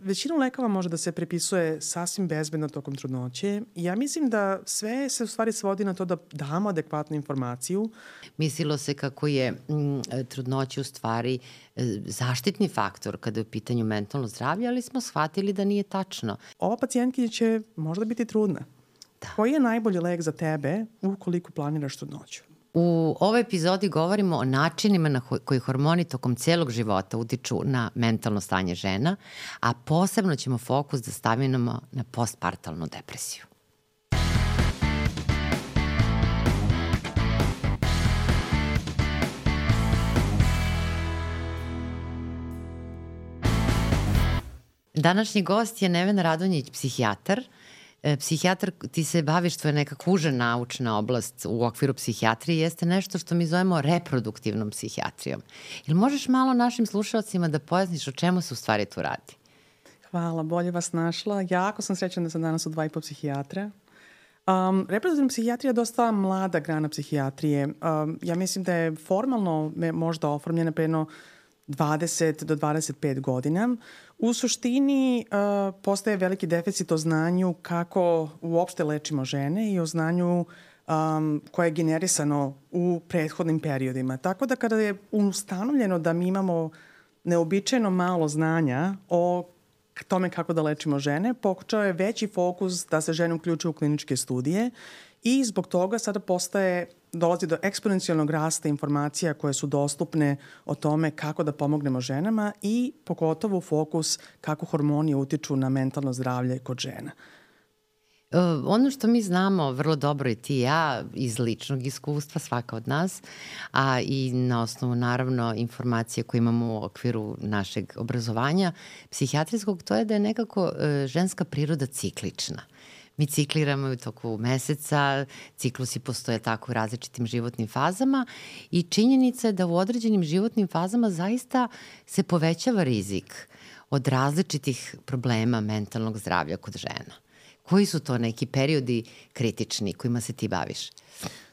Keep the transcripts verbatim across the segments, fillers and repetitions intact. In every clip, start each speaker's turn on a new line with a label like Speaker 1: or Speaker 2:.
Speaker 1: većina lekova može da se prepisuje sasvim bezbedno tokom trudnoće. Ja mislim da sve se u stvari svodi na to da damo adekvatnu informaciju.
Speaker 2: Mislilo se kako je m, trudnoća u stvari zaštitni faktor kada je u pitanju mentalno zdravlje, ali smo shvatili da nije tačno.
Speaker 1: Ova pacijentkinja će možda biti trudna. Da. Koji je najbolji lek za tebe ukoliko planiraš trudnoću?
Speaker 2: U ovoj epizodi govorimo o načinima na koji hormoni tokom celog života utiču na mentalno stanje žena, a posebno ćemo fokus da stavimo na postpartalnu depresiju. Današnji gost je Nevena Radonjić, psihijatar. Psihijatar, ti se baviš, to je neka uža naučna oblast u okviru psihijatrije, jeste nešto što mi zovemo reproduktivnom psihijatrijom. Ili možeš malo našim slušalcima da pojasniš o čemu se u stvari tu radi?
Speaker 1: Hvala, bolje vas našla. Jako sam srećna da sam danas u dva i po psihijatra. Um, reproduktivna psihijatrija je dosta mlada grana psihijatrije. Um, ja mislim da je formalno možda oformljena pre jedno dvadeset do dvadeset pet godina. U suštini uh, postaje veliki deficit o znanju kako uopšte lečimo žene i o znanju um, koje je generisano u prethodnim periodima. Tako da kada je ustanovljeno da mi imamo neobičajno malo znanja o tome kako da lečimo žene, počeo je veći fokus da se žene uključuju u kliničke studije i zbog toga sada postaje dolazi do eksponencijalnog rasta informacija koje su dostupne o tome kako da pomognemo ženama i pogotovo fokus kako hormoni utiču na mentalno zdravlje kod žena.
Speaker 2: Uh, ono što mi znamo vrlo dobro i ti i ja iz ličnog iskustva, svaka od nas, a i na osnovu naravno informacije koje imamo u okviru našeg obrazovanja psihijatrijskog, to je da je nekako uh, ženska priroda ciklična. Mi cikliramo u toku meseca, ciklusi postoje tako u različitim životnim fazama i činjenica je da u određenim životnim fazama zaista se povećava rizik od različitih problema mentalnog zdravlja kod žena. Koji su to neki periodi kritični kojima se ti baviš?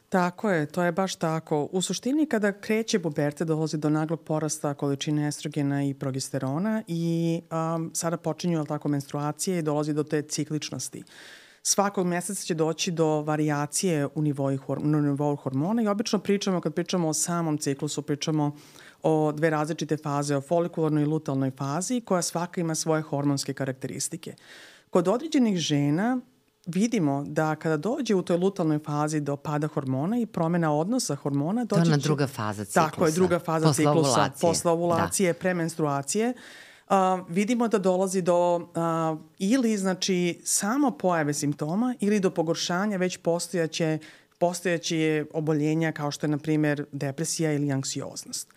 Speaker 1: Tako je, to je baš tako. U suštini kada kreće pubertet dolazi do naglog porasta količine estrogena i progesterona i um, sada počinju tako menstruacije i dolazi do te cikličnosti. Svakog meseca će doći do varijacije u nivou, na nivou hormona i obično pričamo, kad pričamo o samom ciklusu, pričamo o dve različite faze, o folikularnoj i lutealnoj fazi, koja svaka ima svoje hormonske karakteristike. Kod određenih žena vidimo da kada dođe u toj lutealnoj fazi do pada hormona i promena odnosa hormona, dođe
Speaker 2: to je
Speaker 1: će...
Speaker 2: druga faza ciklusa.
Speaker 1: Tako je, druga faza
Speaker 2: posle
Speaker 1: ciklusa,
Speaker 2: ovulacije.
Speaker 1: posle ovulacije, da. Premenstruacije. Uh, vidimo da dolazi do uh, ili znači samo pojave simptoma ili do pogoršanja već postojaće, postojaće oboljenja kao što je na primjer depresija ili anksioznost.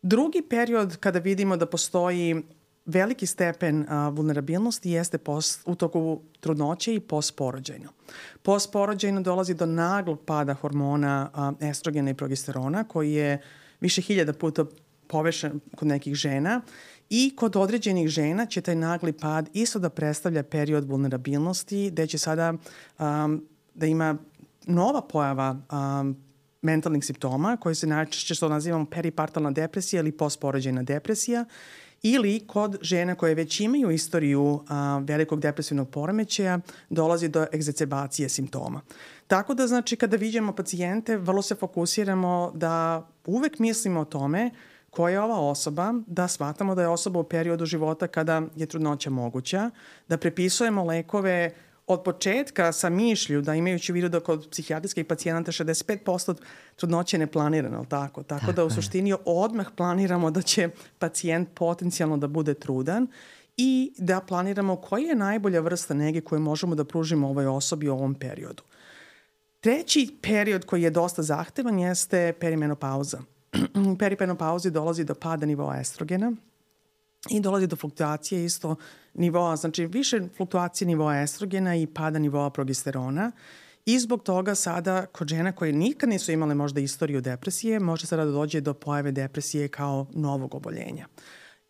Speaker 1: Drugi period kada vidimo da postoji veliki stepen uh, vulnerabilnosti jeste post, u toku trudnoće i postporođajno. Postporođajno dolazi do naglog pada hormona uh, estrogena i progesterona koji je više hiljada puta povešen kod nekih žena i kod određenih žena će taj nagli pad isto da predstavlja period vulnerabilnosti gde će sada um, da ima nova pojava um, mentalnih simptoma koji se najčešće što nazivamo peripartalna depresija ili postporođajna depresija ili kod žena koje već imaju istoriju a, velikog depresivnog poremećaja dolazi do egzacerbacije simptoma. Tako da znači kada viđamo pacijente vrlo se fokusiramo da uvek mislimo o tome koja je ova osoba, da shvatamo da je osoba u periodu života kada je trudnoća moguća, da prepisujemo lekove od početka sa mišlju, da imajući u vidu da kod psihijatrijskih pacijenata šezdeset pet posto trudnoće ne planirano, tako? Tako, tako da u suštini odmah planiramo da će pacijent potencijalno da bude trudan i da planiramo koja je najbolja vrsta nege koju možemo da pružimo ovoj osobi u ovom periodu. Treći period koji je dosta zahtevan jeste perimenopauza. U perimenopauzi dolazi do pada nivoa estrogena i dolazi do fluktuacije isto nivoa, znači više fluktuacije nivoa estrogena i pada nivoa progesterona i zbog toga sada kod žena koje nikad nisu imale možda istoriju depresije, može sada da dođe do pojave depresije kao novog oboljenja.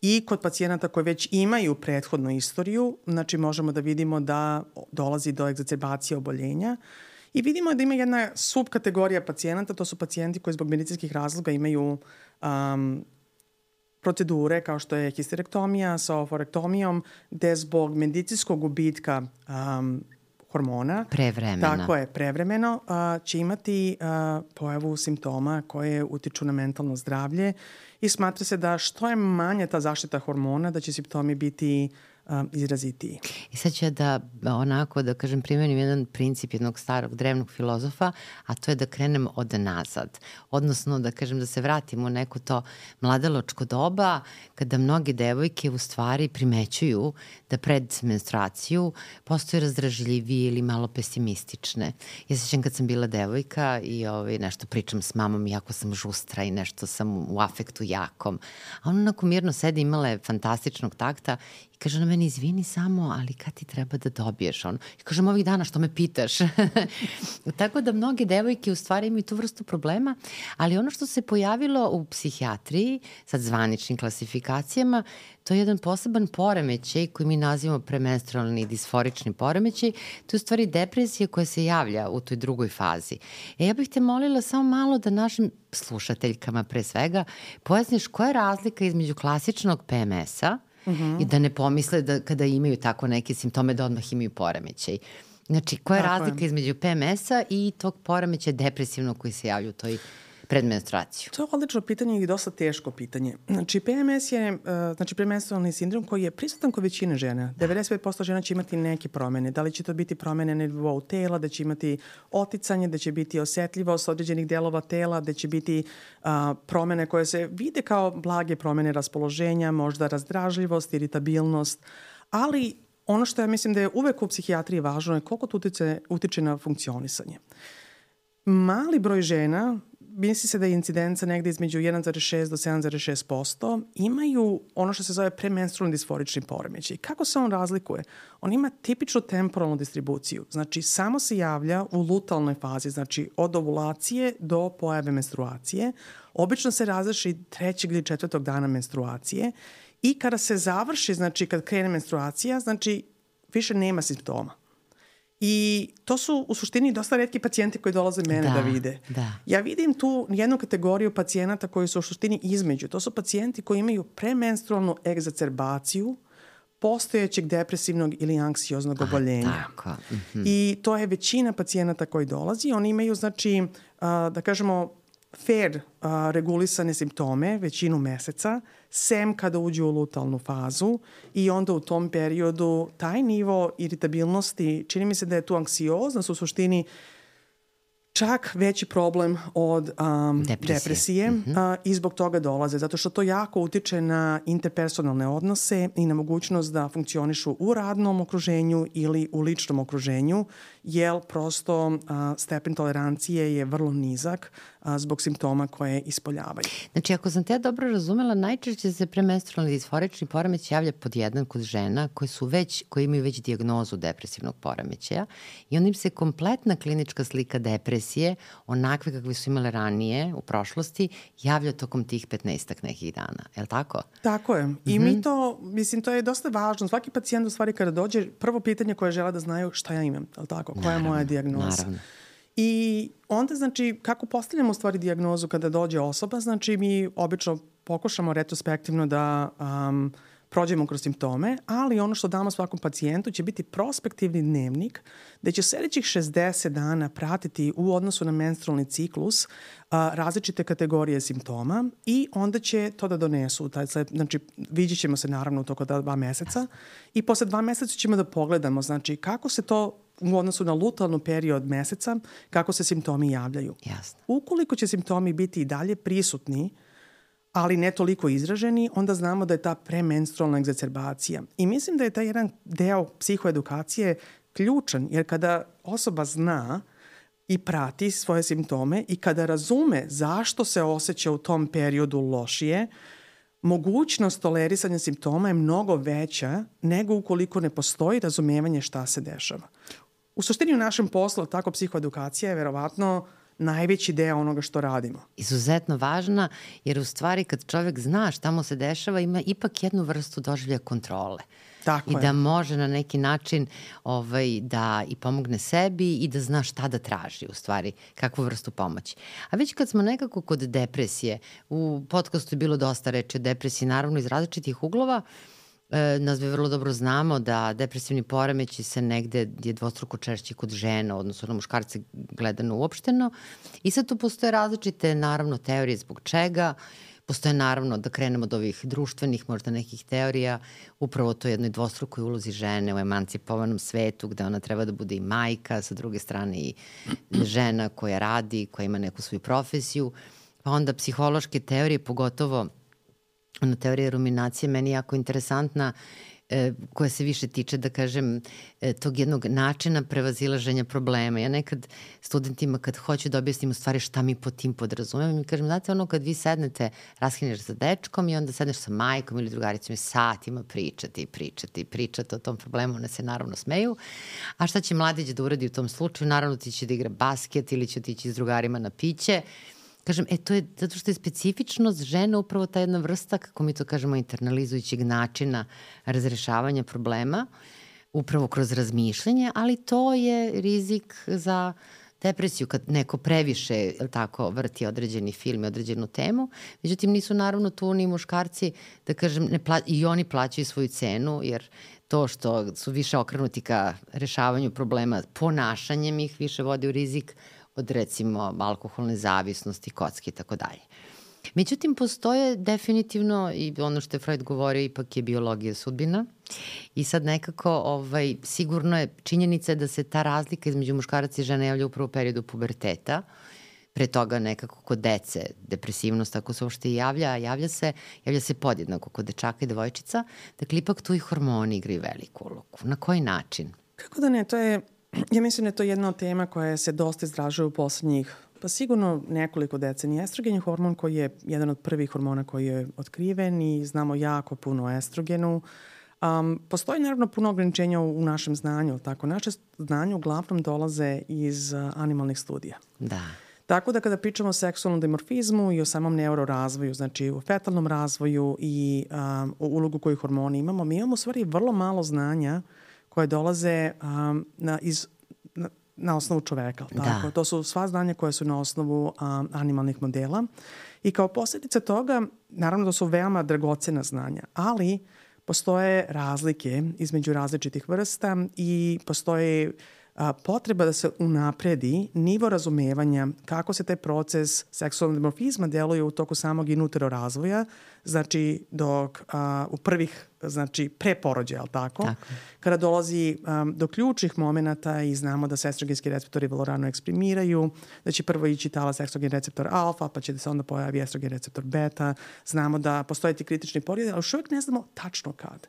Speaker 1: I kod pacijenata koji već imaju prethodnu istoriju, znači možemo da vidimo da dolazi do egzacerbacije oboljenja. I vidimo da ima jedna subkategorija pacijenata, to su pacijenti koji zbog medicinskih razloga imaju um, procedure kao što je histerektomija sa ovarektomijom, gde zbog medicinskog gubitka um, hormona,
Speaker 2: prevremena.
Speaker 1: Tako je, prevremeno, uh, će imati uh, pojavu simptoma koje utiču na mentalno zdravlje i smatra se da što je manja ta zaštita hormona, da će simptomi biti um, izrazitiji.
Speaker 2: I sad ću ja da onako, da kažem, primenim jedan princip jednog starog drevnog filozofa, a to je da krenem od nazad. Odnosno, da kažem, da se vratimo u neko to mladalačko doba, kada mnoge devojke u stvari primećuju da pred menstruaciju postoje razdražljivije ili malo pesimistične. Ja se sjećam kad sam bila devojka i ovaj, nešto pričam s mamom, jako sam žustra i nešto sam u afektu jakom. A ona onako mirno sedi, imala je fantastičnog takta i kaže na meni, izvini samo, ali kad ti treba da dobiješ ono? I kažem, ovih dana što me pitaš? Tako da mnoge devojke u stvari imaju tu vrstu problema, ali ono što se pojavilo u psihijatriji, sad zvaničnim klasifikacijama, to je jedan poseban poremećaj koji mi nazivamo premenstrualni disforični poremećaj. To je u stvari depresija koja se javlja u toj drugoj fazi. E, ja bih te molila samo malo da našim slušateljkama pre svega pojasniš koja je razlika između klasičnog P M S-a i da ne pomisle da kada imaju tako neke simptome da odmah imaju poremećaj. Znači, koja je
Speaker 1: Tako
Speaker 2: razlika
Speaker 1: je.
Speaker 2: između P M S-a i tog poremećaja depresivnog koji se javlja u toj predmenstruaciju?
Speaker 1: To je odlično pitanje i dosta teško pitanje. Znači, P M S je uh, znači, premenstrualni sindrom koji je prisutan kod većine žena. devedeset pet posto žena će imati neke promene. Da li će to biti promene na nivou tela, da će imati oticanje, da će biti osetljivost određenih delova tela, da će biti uh, promene koje se vide kao blage promene raspoloženja, možda razdražljivost, iritabilnost, ali ono što ja mislim da je uvek u psihijatriji važno je koliko to utiče, utiče na funkcionisanje. Mali broj žena, misli se da je incidenca negde između jedan zarez šest do sedam zarez šest posto, imaju ono što se zove premenstrualni disforični poremećaj. Kako se on razlikuje? On ima tipičnu temporalnu distribuciju. Znači, samo se javlja u lutalnoj fazi, znači od ovulacije do pojave menstruacije. Obično se razreši trećeg ili četvrtog dana menstruacije i kada se završi, znači kad krene menstruacija, znači više nema simptoma. I to su u suštini dosta retki pacijenti koji dolaze mene da,
Speaker 2: da
Speaker 1: vide.
Speaker 2: Da.
Speaker 1: Ja vidim tu jednu kategoriju pacijenata koji su u suštini između. To su pacijenti koji imaju premenstrualnu egzacerbaciju postojećeg depresivnog ili anksioznog oboljenja.
Speaker 2: A, tako. Mm-hmm.
Speaker 1: I to je većina pacijenata koji dolazi. Oni imaju, znači, a, da kažemo, fair a, regulisane simptome većinu meseca, sem kada uđu u lutalnu fazu i onda u tom periodu taj nivo iritabilnosti, čini mi se da je tu anksioznost u suštini čak veći problem od um, depresije, depresije mm-hmm. uh, i zbog toga dolaze, zato što to jako utiče na interpersonalne odnose i na mogućnost da funkcionišu u radnom okruženju ili u ličnom okruženju, jer prosto uh, stepen tolerancije je vrlo nizak uh, zbog simptoma koje ispoljavaju.
Speaker 2: Znači, ako sam te dobro razumela, najčešće se premenstrualni disforični poremećaj javlja pod jedan kod žena koji su već, koji imaju već dijagnozu depresivnog poremećaja i onda im se kompletna klinička slika depresije, onakve kakve su imale ranije u prošlosti, javlja tokom tih petnaestak nekih dana. Je li tako?
Speaker 1: Tako je. I mm-hmm. mi to, mislim, to je dosta važno. Svaki pacijent u stvari kada dođe, prvo pitanje koje žele da znaju šta ja imam, je li tako? Koja je moja dijagnoza?
Speaker 2: Naravno.
Speaker 1: I onda, znači, kako postavljamo u stvari dijagnozu kada dođe osoba, znači mi obično pokušamo retrospektivno da um, prođemo kroz simptome, ali ono što damo svakom pacijentu će biti prospektivni dnevnik gde će sljedećih šezdeset dana pratiti u odnosu na menstrualni ciklus a, različite kategorije simptoma i onda će to da donesu. Taj, znači, vidjet ćemo se naravno u toko dva meseca i posle dva meseca ćemo da pogledamo, znači, kako se to u odnosu na lutalnu period meseca, kako se simptomi javljaju.
Speaker 2: Jasno.
Speaker 1: Ukoliko će simptomi biti i dalje prisutni, ali ne toliko izraženi, onda znamo da je ta premenstrualna egzacerbacija. I mislim da je taj jedan deo psihoedukacije ključan, jer kada osoba zna i prati svoje simptome i kada razume zašto se osjeća u tom periodu lošije, mogućnost tolerisanja simptoma je mnogo veća nego ukoliko ne postoji razumevanje šta se dešava. U suštini u našem poslu, tako psihoedukacija je verovatno najveći deo onoga što radimo.
Speaker 2: Izuzetno važna, jer u stvari kad čovjek zna šta mu se dešava, ima ipak jednu vrstu doživlja kontrole.
Speaker 1: Tako
Speaker 2: i
Speaker 1: je.
Speaker 2: da može na neki način ovaj, da i pomogne sebi i da zna šta da traži u stvari, kakvu vrstu pomoći. A već kad smo nekako kod depresije, u podcastu je bilo dosta reči o depresiji, naravno iz različitih uglova, E, nas bi vrlo dobro znamo da depresivni poremeći se negde je dvostruko češći kod žena, odnosno na muškarce gledano uopšteno. I sad tu postoje različite, naravno, teorije zbog čega. Postoje, naravno, da krenemo od ovih društvenih, možda nekih teorija, upravo to jednoj dvostrukoj ulozi žene u emancipovanom svetu, gde ona treba da bude i majka, sa druge strane i žena koja radi, koja ima neku svoju profesiju. Pa onda psihološke teorije, pogotovo ona teorija ruminacije, meni jako interesantna, e, koja se više tiče, da kažem, e, tog jednog načina prevazilaženja problema. Ja nekad studentima kad hoću da objasnim u stvari šta mi po tim podrazumem, mi kažem, znate, ono kad vi sednete, raskineš sa dečkom i onda sedneš sa majkom ili drugaricom i satima pričati, pričati, pričati o tom problemu, one se naravno smeju. A šta će mladić da uradi u tom slučaju? Naravno ti će da igra basket ili će otići s drugarima na piće. Kažem, e, to je zato što je specifičnost žena upravo ta jedna vrsta, kako mi to kažemo, internalizujućeg načina razrešavanja problema, upravo kroz razmišljanje, ali to je rizik za depresiju kad neko previše tako vrti određeni film i određenu temu. Međutim, nisu naravno tu ni muškarci, da kažem, ne pla- i oni plaćaju svoju cenu, jer to što su više okrenuti ka rešavanju problema ponašanjem ih više vodi u rizik od recimo alkoholne zavisnosti, kocke i tako dalje. Međutim, postoje definitivno, i ono što je Freud govorio, ipak je biologija sudbina. I sad nekako ovaj, sigurno je činjenica da se ta razlika između muškaraca i žena javlja upravo u periodu puberteta. Pre toga nekako kod dece depresivnost, ako se uopšte javlja, javlja se, javlja se podjednako kod dečaka i devojčica. Dakle, ipak tu i hormoni igraju veliku ulogu. Na koji način?
Speaker 1: Kako da ne, to je, ja mislim da je to jedna od tema koja se dosta izražava u poslednjih, pa sigurno nekoliko decenija. Estrogen je hormon koji je jedan od prvih hormona koji je otkriven i znamo jako puno o estrogenu. Um, postoji naravno puno ograničenja u, u našem znanju. Tako, naše znanje uglavnom dolaze iz uh, animalnih studija.
Speaker 2: Da.
Speaker 1: Tako da kada pričamo o seksualnom dimorfizmu i o samom neurorazvoju, znači u fetalnom razvoju i um, o ulogu koju hormoni imamo, mi imamo u stvari vrlo malo znanja koje dolaze um, na, iz, na, na osnovu čoveka. Tako?
Speaker 2: Da.
Speaker 1: To su sva znanja koje su na osnovu um, animalnih modela. I kao posljedica toga, naravno da su veoma dragocena znanja, ali postoje razlike između različitih vrsta i postoje a, potreba da se unapredi nivo razumevanja kako se taj proces seksualnog dimorfizma deluje u toku samog in utero razvoja, znači dok a, u prvih, znači pre porođaja, ali tako?
Speaker 2: Tako.
Speaker 1: Kada dolazi um, do ključnih momenata i znamo da se estrogenski receptori vrlo rano eksprimiraju, da će prvo ići talas estrogen receptor alfa, pa će da se onda pojavi estrogen receptor beta. Znamo da postoje ti kritični periodi, ali još uvijek ne znamo tačno kad.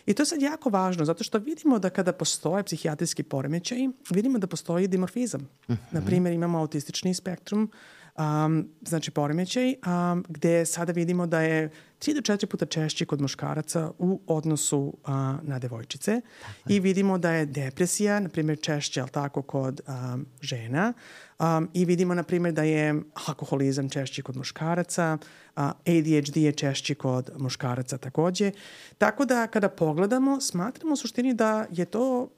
Speaker 1: I to je sad jako važno, zato što vidimo da kada postoje psihijatrijski poremećaj, vidimo da postoji dimorfizam. Mm-hmm. Naprimjer, imamo autistični spektrum, um, znači poremećaj, um, gde sada vidimo da je tri do četiri puta češći kod muškaraca u odnosu uh, na devojčice. Tako. I vidimo da je depresija, na primjer, češća, ali tako, kod um, žena. Um, I vidimo, na primjer, da je alkoholizam češći kod muškaraca, uh, A D H D je češći kod muškaraca takođe. Tako da, kada pogledamo, smatramo u suštini da je to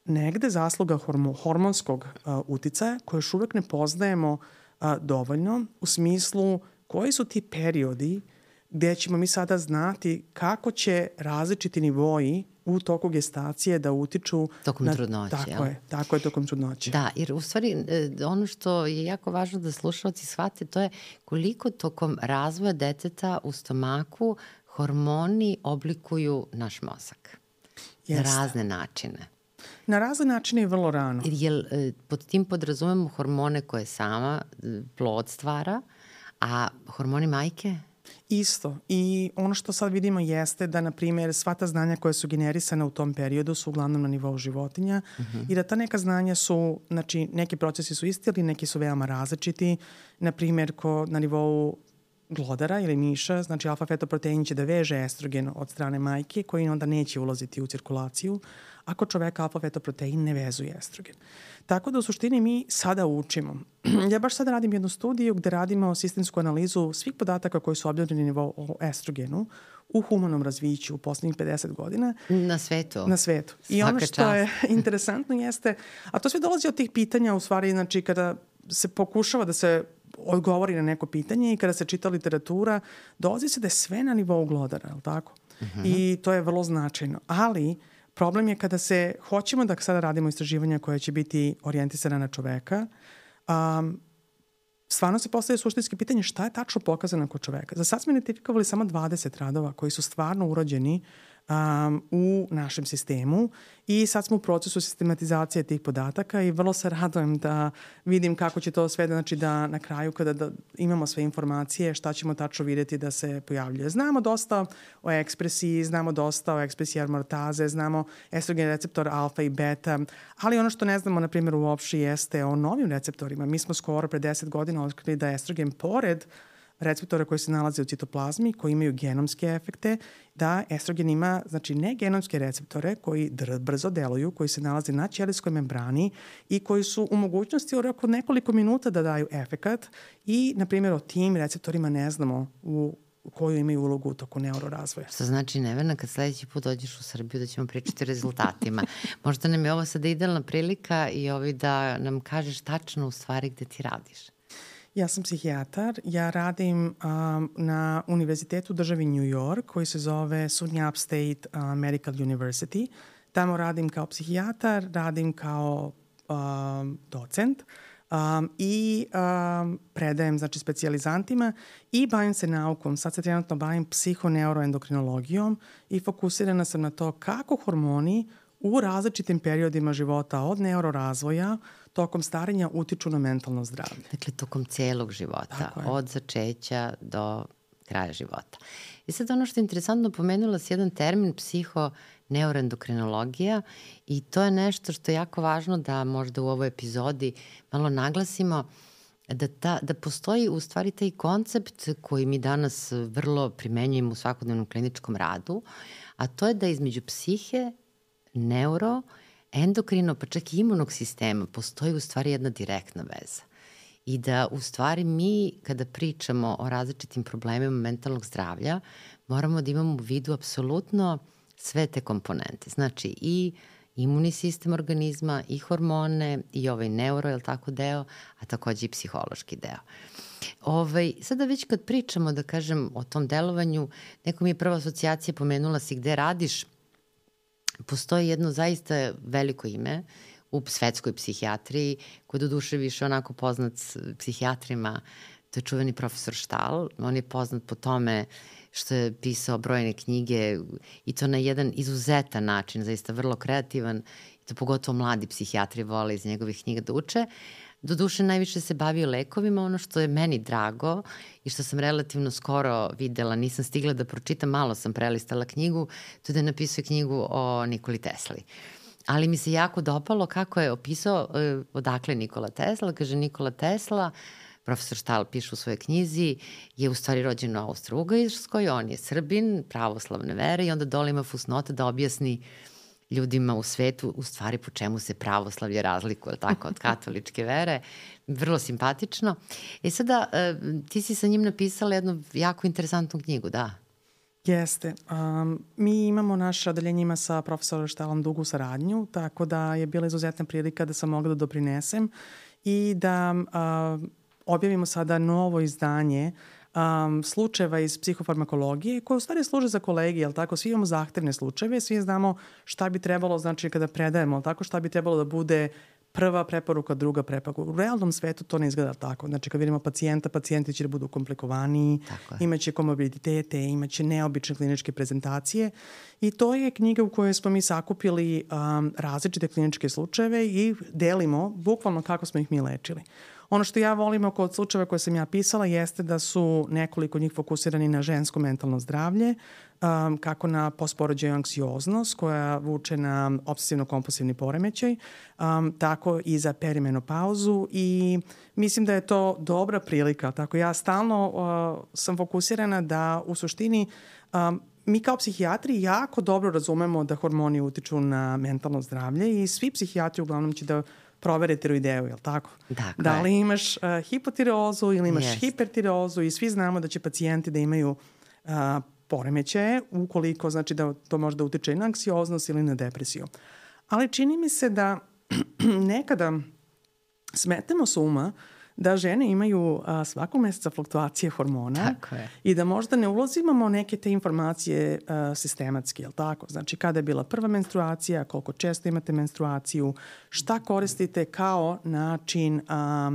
Speaker 1: negde zasluga hormo, hormonskog uh, uticaja koje još uvek ne poznajemo uh, dovoljno u smislu koji su ti periodi gde ćemo mi sada znati kako će različiti nivoji u toku gestacije da utiču
Speaker 2: tokom
Speaker 1: na,
Speaker 2: trudnoće.
Speaker 1: Tako
Speaker 2: jel?
Speaker 1: je, tako je tokom trudnoće.
Speaker 2: Da, jer u stvari ono što je jako važno da slušalci shvate, to je koliko tokom razvoja deteta u stomaku hormoni oblikuju naš mozak.
Speaker 1: Jeste.
Speaker 2: Na razne načine.
Speaker 1: Na razne načine i vrlo rano.
Speaker 2: Jer pod tim podrazumemo hormone koje sama plod stvara, a hormoni majke?
Speaker 1: Isto. I ono što sad vidimo jeste da, na primjer, sva ta znanja koja su generisana u tom periodu su uglavnom na nivou životinja uh-huh. i da ta neka znanja su, znači, neki procesi su isti, ali neki su veoma različiti. Na primjer, ko na nivou glodara ili miša, znači alfa-fetoprotein će da veže estrogen od strane majke koji onda neće ulaziti u cirkulaciju, a kod čoveka alfa-fetoprotein ne vezuje estrogen. Tako da u suštini mi sada učimo. Ja baš sada radim jednu studiju gde radimo sistemsku analizu svih podataka koji su objavljeni o estrogenu u humanom razviću u poslednjih pedeset godina.
Speaker 2: Na svetu?
Speaker 1: Na svetu.
Speaker 2: Svaka
Speaker 1: I ono što
Speaker 2: čast.
Speaker 1: je interesantno jeste, a to sve dolazi od tih pitanja u stvari, znači kada se pokušava da se odgovori na neko pitanje i kada se čita literatura, dolazi se da je sve na nivou glodara, je li tako? Uh-huh. I to je vrlo značajno. Ali problem je kada se, hoćemo da sada radimo istraživanja koje će biti orijentisana na čoveka, um, stvarno se postavlja suštinski pitanje šta je tačno pokazano kod čoveka. Za sad smo identifikovali samo dvadeset radova koji su stvarno urađeni um, u našem sistemu i sad smo u procesu sistematizacije tih podataka i vrlo se radujem da vidim kako će to sve, znači da na kraju kada da imamo sve informacije šta ćemo tačno vidjeti da se pojavljuje. Znamo dosta o ekspresiji, znamo dosta o ekspresiji aromatase, znamo estrogen receptor alfa i beta, ali ono što ne znamo, na primjer, uopšte jeste o novim receptorima. Mi smo skoro pre deset godina otkrili da estrogen pored receptora koji se nalaze u citoplazmi, koji imaju genomske efekte, da estrogen ima, znači, ne genomske receptore koji brzo deluju, koji se nalaze na ćelijskoj membrani i koji su u mogućnosti u roku nekoliko minuta da daju efekat i, na primjer, o tim receptorima ne znamo u koju imaju ulogu u toku neurorazvoja.
Speaker 2: Što znači, Nevena, kad sledeći put dođeš u Srbiju da ćemo pričati o rezultatima. Možda nam je ovo sada idealna prilika i ovi da nam kažeš tačno u stvari gde ti radiš.
Speaker 1: Ja sam psihijatar. Ja radim um, na univerzitetu državi New York koji se zove SUNY Upstate uh, Medical University. Tamo radim kao psihijatar, radim kao um, docent um, i um, predajem, znači, specijalizantima i bavim se naukom. Sad se trenutno bavim psihoneuroendokrinologijom i fokusirana sam na to kako hormoni u različitim periodima života od neurorazvoja tokom starenja utiču na mentalno zdravlje.
Speaker 2: Dakle, tokom celog života, od začeća do kraja života. I sad ono što je interesantno, pomenula si jedan termin psihoneuroendokrinologija i to je nešto što je jako važno da možda u ovoj epizodi malo naglasimo, da, ta, da postoji u stvari taj koncept koji mi danas vrlo primenjujemo u svakodnevnom kliničkom radu, a to je da između psihe, neuro, endokrino, pa čak i imunog sistema postoji u stvari jedna direktna veza. I da u stvari mi kada pričamo o različitim problemima mentalnog zdravlja moramo da imamo u vidu apsolutno sve te komponente. Znači i imunni sistem organizma, i hormone, i ovaj neuro, je li tako, deo, a takođe i psihološki deo. Ovaj, sada već kad pričamo, da kažem, o tom delovanju, neko mi je prva asocijacija, pomenula si gde radiš. Postoji jedno zaista veliko ime u svetskoj psihijatriji, koji do duše više onako poznat psihijatrima, to je čuveni profesor Stahl. On je poznat po tome što je pisao brojne knjige i to na jedan izuzetan način, zaista vrlo kreativan, i to pogotovo mladi psihijatri vole iz njegovih knjiga da uče. Doduše, najviše se bavio lekovima, ono što je meni drago i što sam relativno skoro videla, nisam stigla da pročitam, malo sam prelistala knjigu, to je da je napisao knjigu o Nikoli Tesli. Ali mi se jako dopalo kako je opisao eh, odakle Nikola Tesla. Kaže, Nikola Tesla, profesor Stahl piše u svojoj knjizi, je u stvari rođen u Austro-Ugarskoj, on je Srbin, pravoslavne vere i onda dole ima fusnota da objasni ljudima u svetu u stvari po čemu se pravoslavlje razlikuje, tako, od katoličke vere. Vrlo simpatično. E sada, ti si sa njim napisala jednu jako interesantnu knjigu, da?
Speaker 1: Jeste. Um, mi imamo, naše odeljenje ima sa profesorom Stahlom dugu saradnju, tako da je bila izuzetna prilika da sam mogla da doprinesem i da uh, objavimo sada novo izdanje um, slučajeva iz psihofarmakologije koje u stvari služe za kolegi, jel tako? Svi imamo zahtevne slučajeve, svi znamo šta bi trebalo, znači kada predajemo, jel tako, šta bi trebalo da bude prva preporuka, druga preporuka. U realnom svetu to ne izgleda tako. Znači, kad vidimo pacijenta, pacijenti će da budu komplikovaniji, imaće komorbiditete, imaće neobične kliničke prezentacije i to je knjiga u kojoj smo mi sakupili um, različite kliničke slučajeve i delimo bukvalno kako smo ih mi lečili. Ono što ja volim oko od slučajeva koje sam ja pisala jeste da su nekoliko njih fokusirani na žensko mentalno zdravlje, um, kako na postporođaju anksioznost koja vuče na obsesivno-kompulsivni poremećaj, um, tako i za perimenopauzu i mislim da je to dobra prilika. Tako ja stalno uh, sam fokusirana da u suštini um, mi kao psihijatri jako dobro razumemo da hormoni utiču na mentalno zdravlje i svi psihijatri uglavnom će da provere tiroideu, je li tako?
Speaker 2: Dakle.
Speaker 1: Da li imaš uh, hipotireozu ili imaš
Speaker 2: Yes.
Speaker 1: hipertireozu i svi znamo da će pacijenti da imaju uh, poremećaje ukoliko znači da to može da utiče i na anksioznost ili na depresiju. Ali čini mi se da nekada smetemo s uma da žene imaju a, svakog meseca fluktuacije hormona i da možda ne ulazimamo neke te informacije a, sistematski, je li tako? Znači kada je bila prva menstruacija, koliko često imate menstruaciju, šta koristite kao način a,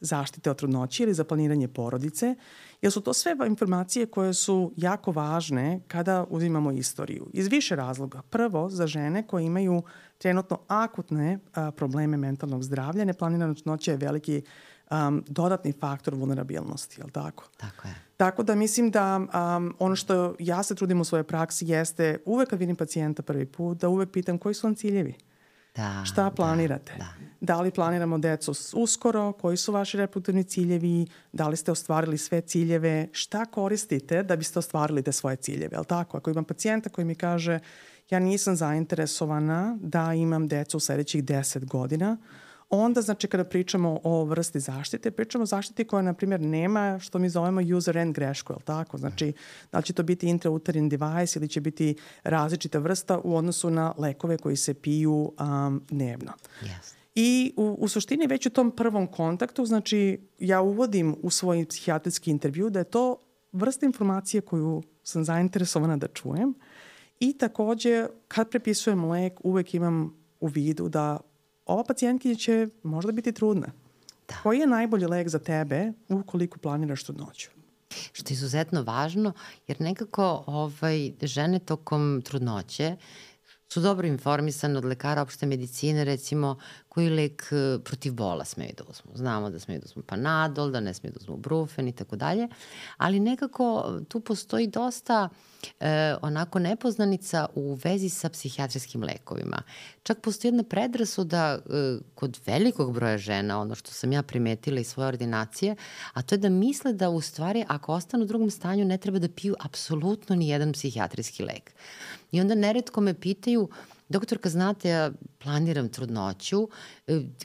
Speaker 1: zaštite od trudnoće ili za planiranje porodice, jer su to sve informacije koje su jako važne kada uzimamo istoriju. Iz više razloga. Prvo, za žene koje imaju trenutno akutne a, probleme mentalnog zdravlja, neplanirana trudnoća je veliki um, dodatni faktor vulnerabilnosti, je li tako?
Speaker 2: Tako je.
Speaker 1: Tako da mislim da um, ono što ja se trudim u svojoj praksi jeste uvek kad vidim pacijenta prvi put, da uvek pitam koji su vam ciljevi.
Speaker 2: Da,
Speaker 1: Šta planirate?
Speaker 2: Da, da.
Speaker 1: da li planiramo decu uskoro? Koji su vaši reproduktivni ciljevi? Da li ste ostvarili sve ciljeve? Šta koristite da biste ostvarili te svoje ciljeve? Jel tako? Ako imam pacijenta koji mi kaže ja nisam zainteresovana da imam decu u sledećih deset godina, onda, znači, kada pričamo o vrsti zaštite, pričamo o zaštiti koja, na primjer, nema što mi zovemo user end grešku, je li tako? Znači, da li će to biti intrauterin device ili će biti različita vrsta u odnosu na lekove koji se piju um, dnevno.
Speaker 2: Yes.
Speaker 1: I u, u suštini već u tom prvom kontaktu, znači, ja uvodim u svoj psihijatrijski intervju da je to vrsta informacije koju sam zainteresovana da čujem i takođe, kad prepisujem lek, uvek imam u vidu da ova pacijentkinja će možda biti trudna. Da. Koji je najbolji lek za tebe ukoliko planiraš trudnoću?
Speaker 2: Što je izuzetno važno, jer nekako ovaj, žene tokom trudnoće su dobro informisane od lekara opšte medicine, recimo, koji lek protiv bola smeju da uzmu. Znamo da smeju da uzmu Panadol, da ne smeju da uzmu Brufen i tako dalje, ali nekako tu postoji dosta e, onako nepoznanica u vezi sa psihijatrijskim lekovima. Čak postoji jedna predrasuda e, kod velikog broja žena, ono što sam ja primetila iz svoje ordinacije, a to je da misle da u stvari ako ostanu u drugom stanju ne treba da piju apsolutno ni jedan psihijatrijski lek. I onda neretko me pitaju, doktorka, znate, ja planiram trudnoću,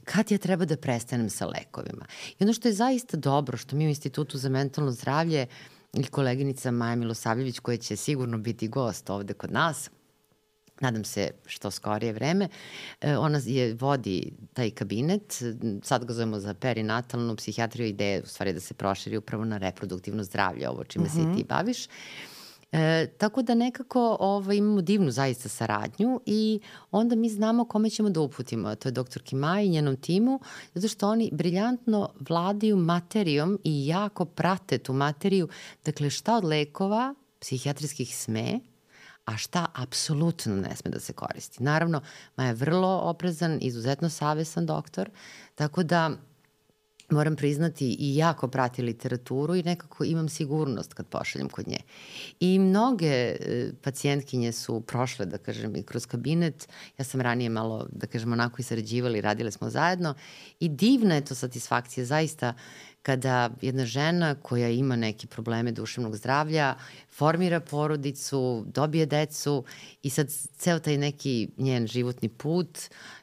Speaker 2: kad ja treba da prestanem sa lekovima? I ono što je zaista dobro, što mi u Institutu za mentalno zdravlje i koleginica Maja Milosavljević, koja će sigurno biti gost ovde kod nas, nadam se što skorije vreme, ona je, vodi taj kabinet, sad ga zovemo za perinatalnu psihijatriju, ideje u stvari da se proširi upravo na reproduktivno zdravlje, ovo čime uh-huh. se i ti baviš. E, tako da nekako ovaj, imamo divnu zaista saradnju i onda mi znamo kome ćemo da uputimo. To je doktorki Maja i njenom timu, zato što oni briljantno vladaju materijom i jako prate tu materiju. Dakle, šta od lekova psihijatrijskih sme, a šta apsolutno ne sme da se koristi. Naravno, Maja je vrlo oprezan, izuzetno savestan doktor, tako da moram priznati i jako prati literaturu i nekako imam sigurnost kad pošaljem kod nje. I mnoge e, pacijentkinje su prošle, da kažem, i kroz kabinet. Ja sam ranije malo, da kažem, onako i sarađivali, radile smo zajedno i divna je to satisfakcija zaista kada jedna žena koja ima neke probleme duševnog zdravlja formira porodicu, dobije decu i sad ceo taj neki njen životni put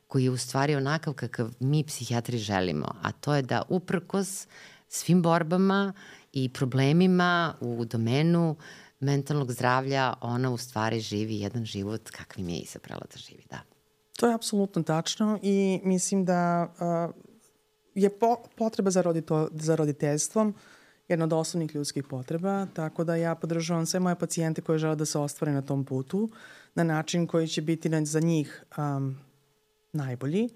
Speaker 2: koji je u stvari onakav kakav mi psihijatri želimo, a to je da uprkos svim borbama i problemima u domenu mentalnog zdravlja, ona u stvari živi jedan život kakvim je izabrala da živi, da.
Speaker 1: To je apsolutno tačno i mislim da uh, je po, potreba za, rodito, za roditeljstvom jedna od osnovnih ljudskih potreba, tako da ja podržavam sve moje pacijente koje žele da se ostvare na tom putu, na način koji će biti za njih um, najbolji.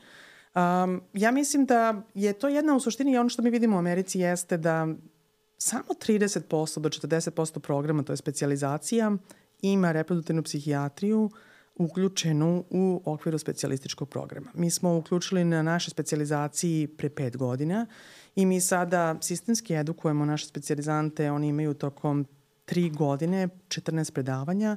Speaker 1: Um, ja mislim da je to jedna u suštini i ono što mi vidimo u Americi jeste da samo trideset posto do četrdeset posto programa, to je specijalizacija, ima reproduktivnu psihijatriju uključenu u okviru specijalističkog programa. Mi smo uključili na našoj specijalizaciji pre pet godina i mi sada sistemski edukujemo naše specijalizante. Oni imaju tokom tri godine četrnaest predavanja,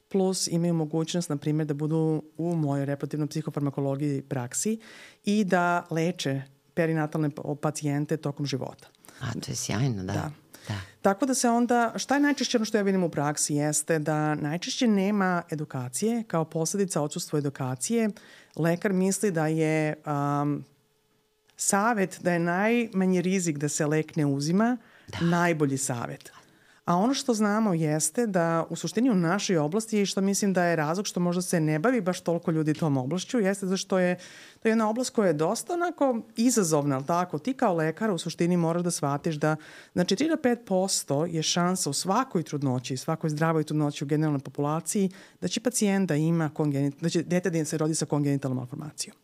Speaker 1: plus imaju mogućnost, na primjer, da budu u mojoj reproduktivnoj psihofarmakologiji praksi i da leče perinatalne pacijente tokom života.
Speaker 2: A, to je sjajno, da.
Speaker 1: Da.
Speaker 2: Da.
Speaker 1: Tako da se onda, šta je najčešće ono što ja vidim u praksi jeste da najčešće nema edukacije, kao posljedica odsustva edukacije. Lekar misli da je um, savet, da je najmanji rizik da se lek ne uzima, da. najbolji savet. A ono što znamo jeste da u suštini u našoj oblasti, što mislim da je razlog što možda se ne bavi baš toliko ljudi tom oblašću, jeste zašto je to je jedna oblast koja je dosta onako izazovna, ali tako? Ti kao lekar u suštini moraš da shvatiš da znači tri do pet posto je šansa u svakoj trudnoći, svakoj zdravoj trudnoći u generalnoj populaciji da će pacijent da ima kongenit, da će dete da se rodi sa kongenitalnom malformacijom.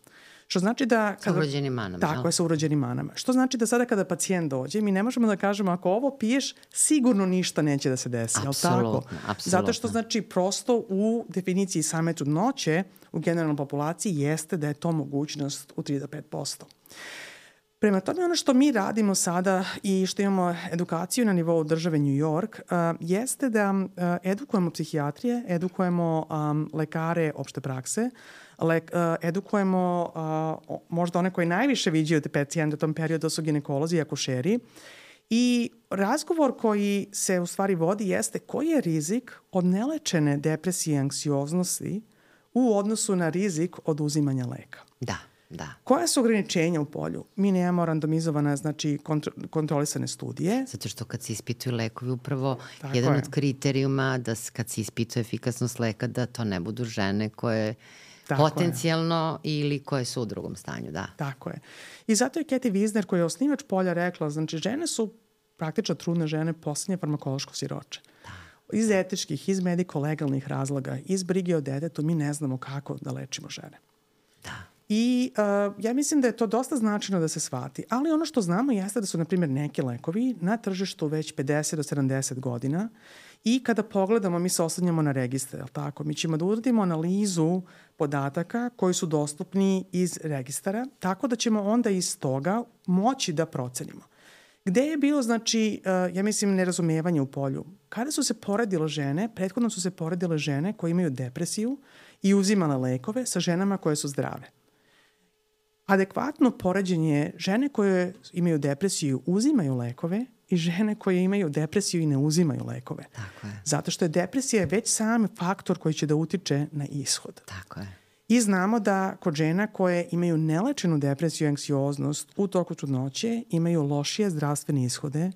Speaker 1: Što znači da...
Speaker 2: Kada, sa urođenim manama.
Speaker 1: Tako je, sa urođenim manama. Što znači da sada kada pacijent dođe, mi ne možemo da kažemo ako ovo piješ, sigurno ništa neće da se desi.
Speaker 2: Apsolutno, apsolutno.
Speaker 1: Zato što znači prosto u definiciji same trudnoće u generalnoj populaciji jeste da je to mogućnost u tri do pet posto. Prema tome, ono što mi radimo sada i što imamo edukaciju na nivou države New York uh, jeste da uh, edukujemo psihijatrije, edukujemo um, lekare opšte prakse, le, uh, edukujemo uh, možda one koji najviše viđaju te pacijente u tom periodu, su ginekolozi i akušeri. I razgovor koji se u stvari vodi jeste koji je rizik od nelečene depresije i anksioznosti u odnosu na rizik od uzimanja leka.
Speaker 2: Da. Da.
Speaker 1: Koja su ograničenja u polju? Mi nemamo randomizovane, znači kontro, kontrolisane studije.
Speaker 2: Zato što kad se ispituju lekovi, upravo
Speaker 1: Tako
Speaker 2: jedan
Speaker 1: je.
Speaker 2: od kriterijuma da kad se ispituje efikasnost leka, da to ne budu žene koje Tako potencijalno je. Ili koje su u drugom stanju, da.
Speaker 1: Tako je. I zato je Cathy Wiesner, koja je osnivač polja, rekla, znači žene su praktično trudne žene poslednje farmakološko siroče. Da. Iz etičkih, iz mediko-legalnih razloga, iz brige o detetu, mi ne znamo kako da lečimo žene.
Speaker 2: Da.
Speaker 1: I uh, ja mislim da je to dosta značajno da se shvati. Ali ono što znamo jeste da su, na primjer, neki lekovi na tržištu već pedeset do sedamdeset godina i kada pogledamo, mi se oslanjamo na registre, je li tako? Mi ćemo da uradimo analizu podataka koji su dostupni iz registara, tako da ćemo onda iz toga moći da procenimo. Gde je bilo, znači, uh, ja mislim, nerazumevanje u polju? Kada su se poredile žene, prethodno su se poredile žene koje imaju depresiju i uzimale lekove sa ženama koje su zdrave. Adekvatno poređenje žene koje imaju depresiju uzimaju lekove i žene koje imaju depresiju i ne uzimaju lekove.
Speaker 2: Tako je.
Speaker 1: Zato što je depresija već sam faktor koji će da utiče na ishod.
Speaker 2: Tako je.
Speaker 1: I znamo da kod žena koje imaju nelečenu depresiju i anksioznost u toku trudnoće imaju lošije zdravstvene ishode,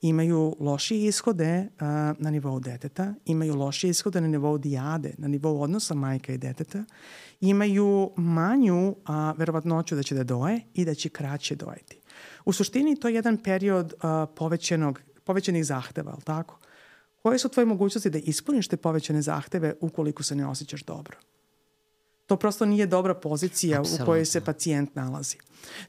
Speaker 1: imaju lošije ishode uh, na nivou deteta, imaju lošije ishode na nivou dijade, na nivou odnosa majka i deteta, imaju manju uh, verovatnoću da će da doje i da će kraće dojeti. U suštini to je jedan period uh, povećenog, povećanih zahteva, ali tako? Koje su tvoje mogućnosti da ispuniš te povećane zahteve ukoliko se ne osjećaš dobro? To prosto nije dobra pozicija Absolutno. U kojoj se pacijent nalazi.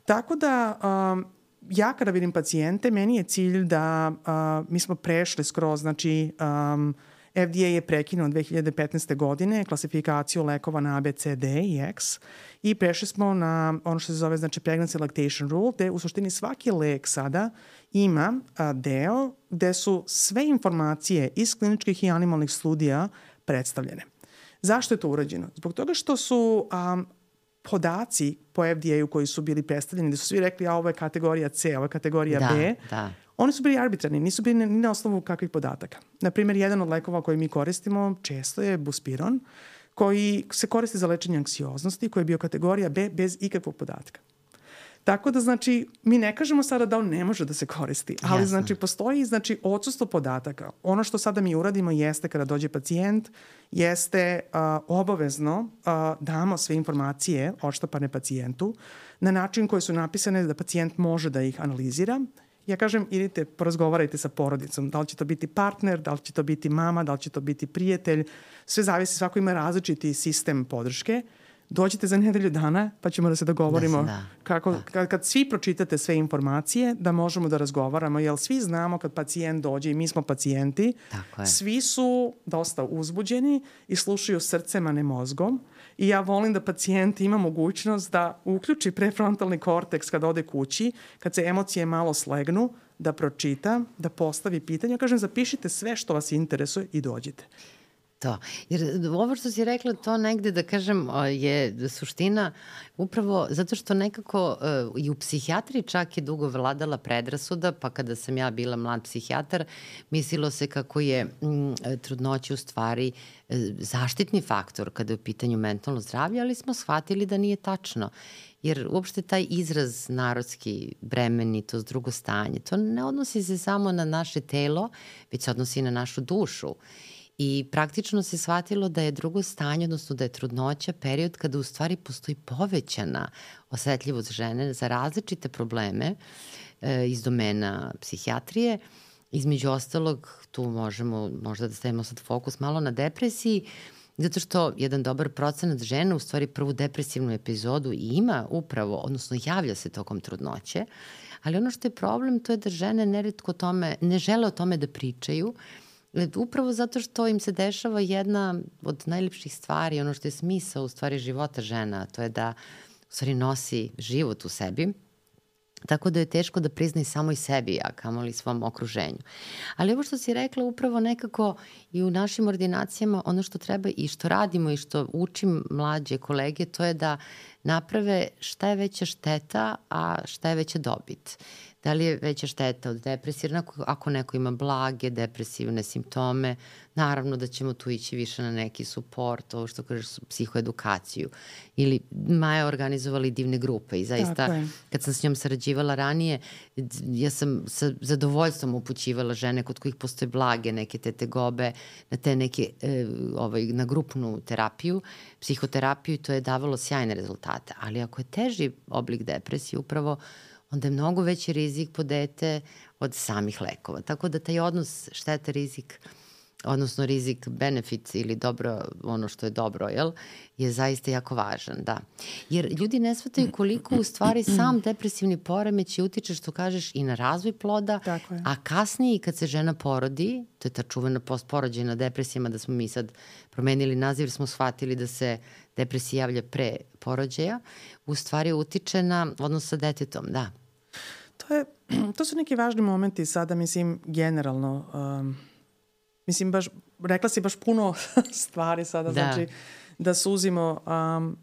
Speaker 1: Tako da um, ja kada vidim pacijente, meni je cilj da uh, mi smo prešli skroz, znači um, F D A je prekinuo dve hiljade petnaeste. godine klasifikaciju lekova na A, B, C, D i X i prešli smo na ono što se zove znači pregnancy lactation rule, gde u suštini svaki lek sada ima uh, deo gde su sve informacije iz kliničkih i animalnih studija predstavljene. Zašto je to urađeno? Zbog toga što su um, podaci po F D A-u koji su bili predstavljeni, da su svi rekli a ovo je kategorija C, ovo je kategorija
Speaker 2: da,
Speaker 1: B,
Speaker 2: da.
Speaker 1: Oni su bili arbitrarni, nisu bili ni na osnovu kakvih podataka. Naprimjer, jedan od lekova koji mi koristimo često je buspiron, koji se koristi za lečenje anksioznosti, koji je bio kategorija B bez ikakvog podatka. Tako da, znači, mi ne kažemo sada da on ne može da se koristi, ali, Jasne. znači, postoji, znači, odsustvo podataka. Ono što sada mi uradimo jeste kada dođe pacijent, jeste uh, obavezno uh, damo sve informacije odštampane pacijentu na način koji su napisane da pacijent može da ih analizira. Ja kažem, idite, porazgovarajte sa porodicom. Da li će to biti partner, da li će to biti mama, da li će to biti prijatelj. Sve zavisi, svako ima različiti sistem podrške. dođite za nedelju dana pa ćemo da se dogovorimo
Speaker 2: da,
Speaker 1: kako,
Speaker 2: da.
Speaker 1: Kad, kad svi pročitate sve informacije da možemo da razgovaramo, jer svi znamo kad pacijent dođe i mi smo pacijenti, svi su dosta uzbuđeni i slušaju srcem, a ne mozgom. I ja volim da pacijent ima mogućnost da uključi prefrontalni korteks kad ode kući, kad se emocije malo slegnu, da pročita, da postavi pitanje. Ja kažem, zapišite sve što vas interesuje i dođite.
Speaker 2: To. Jer ovo što si rekla, to negde, da kažem, je suština upravo zato što nekako uh, i u psihijatriji čak je dugo vladala predrasuda, pa kada sam ja bila mlad psihijatar, mislilo se kako je mm, trudnoća u stvari uh, zaštitni faktor kada je u pitanju mentalno zdravlje, ali smo shvatili da nije tačno. Jer uopšte taj izraz narodski, bremenitost, drugo stanje, to ne odnosi se samo na naše telo, već se odnosi i na našu dušu. I praktično se shvatilo da je drugo stanje, odnosno da je trudnoća period kada u stvari postoji povećana osetljivost žene za različite probleme e, iz domena psihijatrije. Između ostalog, tu možemo možda da stavimo sad fokus malo na depresiji, zato što jedan dobar procenat žena u stvari prvu depresivnu epizodu ima upravo, odnosno javlja se tokom trudnoće, ali ono što je problem to je da žene neretko tome, ne žele o tome da pričaju, upravo zato što im se dešava jedna od najlepših stvari, ono što je smisao u stvari života žena, to je da u stvari nosi život u sebi, tako da je teško da prizna i samo i sebi, a kamoli svom okruženju. Ali ovo što si rekla, upravo nekako i u našim ordinacijama, ono što treba i što radimo i što učim mlađe kolege, to je da naprave šta je veća šteta, a šta je veća dobit. Da li je veća šteta od depresije? Ako neko ima blage depresivne simptome, naravno da ćemo tu ići više na neki suport, ovo što kažeš, psihoedukaciju. Ili Maja organizovali divne grupe i zaista kad sam s njom sarađivala ranije, ja sam sa zadovoljstvom upućivala žene kod kojih postoje blage neke te tegobe na te neke, e, ovaj, na grupnu terapiju, psihoterapiju, i to je davalo sjajne rezultate. Ali ako je teži oblik depresije, upravo onda je mnogo veći rizik po dete od samih lekova. Tako da taj odnos šteta rizik, odnosno rizik benefit ili dobro, ono što je dobro, jel, je zaista jako važan, da. Jer ljudi ne shvataju koliko u stvari sam depresivni poremeć utiče, što kažeš, i na razvoj ploda, a kasnije kad se žena porodi, to je ta čuvena postporođajna depresija, da smo mi sad promenili naziv jer smo shvatili da se depresija javlja pre porođaja, u stvari utiče na odnos sa detetom, da.
Speaker 1: To, je, to su neki važni momenti sada, mislim, generalno. Um, mislim, baš, rekla si baš puno stvari sada, da. Znači da suzimo. Um,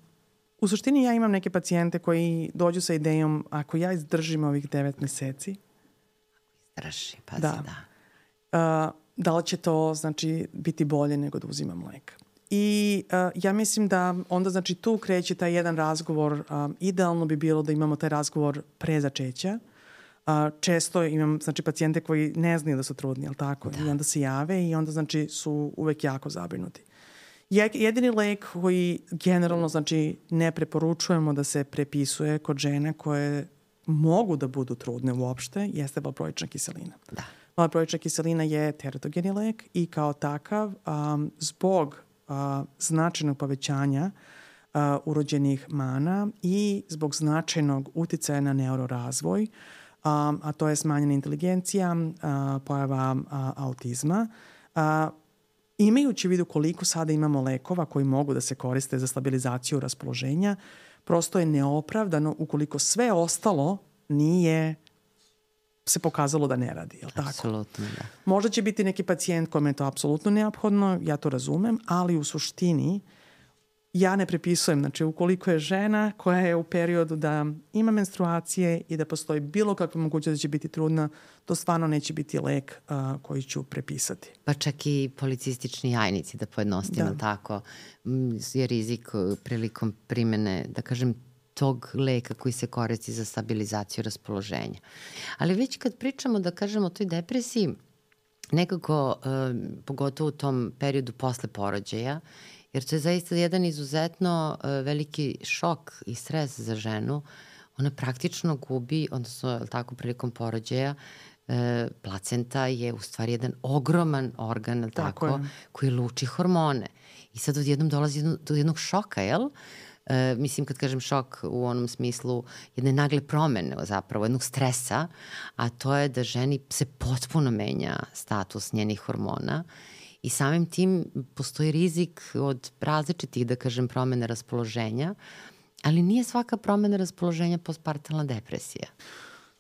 Speaker 1: u suštini ja imam neke pacijente koji dođu sa idejom, ako ja izdržim ovih devet meseci,
Speaker 2: izdrži, pazi,
Speaker 1: da. Da. Uh, da li će to, znači, biti bolje nego da uzimam lek? I uh, ja mislim da onda, znači, tu kreće taj jedan razgovor. Um, idealno bi bilo da imamo taj razgovor pre začeća. Uh, često imam, znači, pacijente koji ne znaju da su trudni, ali tako? Da. I onda se jave i onda, znači, su uvek jako zabrinuti. Je, jedini lek koji generalno, znači, ne preporučujemo da se prepisuje kod žene koje mogu da budu trudne uopšte, jeste valproična kiselina.
Speaker 2: Da.
Speaker 1: Valproična kiselina je teratogeni lek i kao takav, um, zbog uh, značajnog povećanja uh, urođenih mana i zbog značajnog uticaja na neurorazvoj, um, a to je smanjena inteligencija, uh, pojava uh, autizma, uh, imajući u vidu koliko sada imamo lekova koji mogu da se koriste za stabilizaciju raspoloženja, prosto je neopravdano ukoliko sve ostalo nije se pokazalo da ne radi, je li tako?
Speaker 2: Apsolutno, da.
Speaker 1: Možda će biti neki pacijent kome je to apsolutno neophodno, ja to razumem, ali u suštini ja ne prepisujem. Znači, ukoliko je žena koja je u periodu da ima menstruacije i da postoji bilo kakva mogućnost da će biti trudna, to stvarno neće biti lek uh, koji ću prepisati.
Speaker 2: Pa čak i policistični jajnici, da pojednostavimo da. Tako, je rizik prilikom primene, da kažem, tog leka koji se koristi za stabilizaciju raspoloženja. Ali već kad pričamo, da kažemo, o toj depresiji, nekako, eh, pogotovo u tom periodu posle porođaja, jer to je zaista jedan izuzetno eh, veliki šok i stres za ženu, ona praktično gubi, odnosno, tako, prilikom porođaja, eh, placenta je u stvari jedan ogroman organ, tako, tako koji luči hormone. I sad odjednom dolazi do jednog šoka, jel? E, mislim, kad kažem šok u onom smislu jedne nagle promene zapravo, jednog stresa, a to je da ženi se potpuno menja status njenih hormona i samim tim postoji rizik od različitih, da kažem, promene raspoloženja, ali nije svaka promena raspoloženja postpartalna depresija.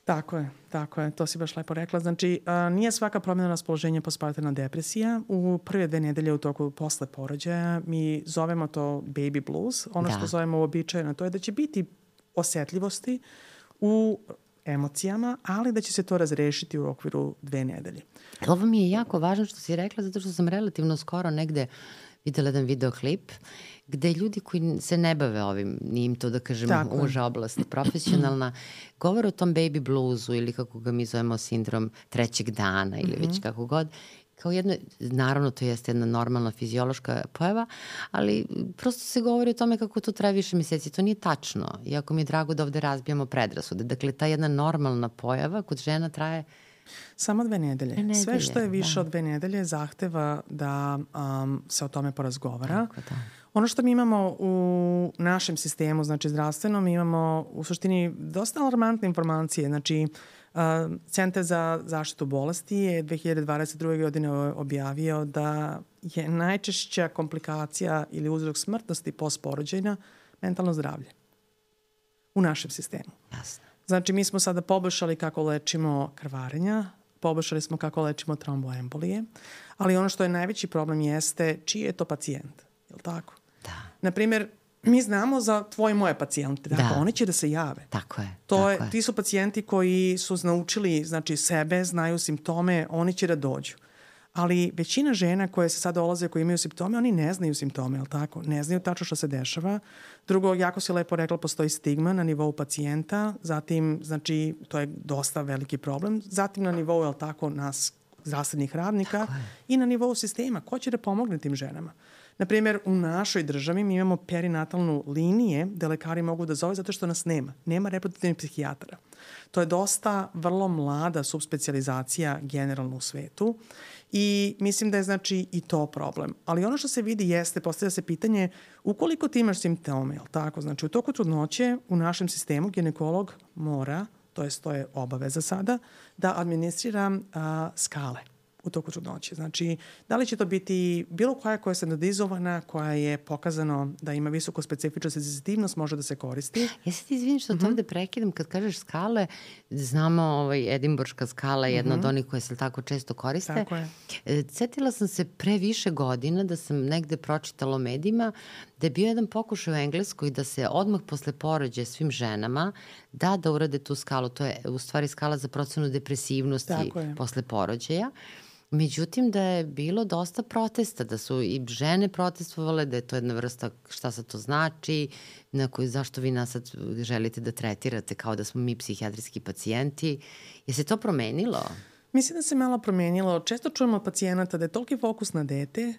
Speaker 1: Tako je, tako je, to si baš lepo rekla. Znači, a, nije svaka promjena raspoloženja postpartalna depresija. U prve dve nedelje u toku posle porođaja mi zovemo to baby blues. Ono da. što zovemo uobičajeno, to je da će biti osetljivosti u emocijama, ali da će se to razrešiti u okviru dve nedelje.
Speaker 2: Ovo mi je jako važno što si rekla, zato što sam relativno skoro negde videla jedan videoklip gde ljudi koji se ne bave ovim, nije im to da kažem Tako uža oblast profesionalna, govore o tom baby bluesu ili kako ga mi zovemo sindrom trećeg dana ili mm-hmm. već kako god, kao jedno, naravno to jeste jedna normalna fiziološka pojava, ali prosto se govori o tome kako to traje više meseci. To nije tačno, iako mi je drago da ovde razbijamo predrasude. Dakle, ta jedna normalna pojava kod žena traje
Speaker 1: samo dve nedelje. nedelje. Sve što je više da. od dve nedelje zahteva da um, se o tome porazgovara.
Speaker 2: Tako, da.
Speaker 1: Ono što mi imamo u našem sistemu, znači zdravstvenom, mi imamo u suštini dosta alarmantne informacije. Znači, uh, Centar za zaštitu bolesti je dve hiljade dvadeset druge godine objavio da je najčešća komplikacija ili uzrok smrtnosti postporođajna mentalno zdravlje u našem sistemu.
Speaker 2: Jasno.
Speaker 1: Znači, mi smo sada poboljšali kako lečimo krvarenja, poboljšali smo kako lečimo tromboembolije, ali ono što je najveći problem jeste čiji je to pacijent, je li tako?
Speaker 2: Da.
Speaker 1: Naprimjer, mi znamo za tvoje i moje pacijente, da. Dakle, oni će da se jave.
Speaker 2: Tako je.
Speaker 1: To
Speaker 2: tako
Speaker 1: je,
Speaker 2: je.
Speaker 1: Ti su pacijenti koji su naučili, znači, sebe, znaju simptome, oni će da dođu. Ali većina žena koje se sad dolaze, koje imaju simptome, oni ne znaju simptome, je li tako? Ne znaju tačno što se dešava. Drugo, jako si lepo rekla, postoji stigma na nivou pacijenta, zatim, znači, to je dosta veliki problem. Zatim na nivou, je li tako, nas, zdravstvenih radnika i na nivou sistema. Ko će da pomogne tim ženama? Naprimjer, u našoj državi mi imamo perinatalnu linije gde lekari mogu da zove zato što nas nema. Nema reproduktivnih psihijatara. To je dosta vrlo mlada subspecijalizacija generalno u svetu i mislim da je znači i to problem. Ali ono što se vidi jeste, postavlja se pitanje ukoliko ti imaš simptome, jel tako? Znači u toku trudnoće u našem sistemu ginekolog mora, to jest to je obaveza sada, da administrira a, skale u toku trudnoće. Znači, da li će to biti bilo koja koja je standardizovana, koja je pokazano da ima visoku specifičnost i senzitivnost, može da se koristi.
Speaker 2: Ja se ti izvinim što mm-hmm. to ovde prekidam. Kad kažeš skale, znamo ovaj, Edimburška skala je jedna mm-hmm. od onih koje se tako često koriste.
Speaker 1: Tako je.
Speaker 2: Setila sam se pre više godina da sam negde pročitala o medijima da je bio jedan pokušaj u Engleskoj da se odmah posle porođaja svim ženama da da urade tu skalu. To je u stvari skala za procenu depresivnosti posle porođaja. Međutim, da je bilo dosta protesta, da su i žene protestovale, da je to jedna vrsta šta sad to znači, na koju, zašto vi nas sad želite da tretirate kao da smo mi psihijatrijski pacijenti. Je se to promenilo?
Speaker 1: Mislim da se malo promenilo. Često čujemo od pacijenata da je toliki fokus na dete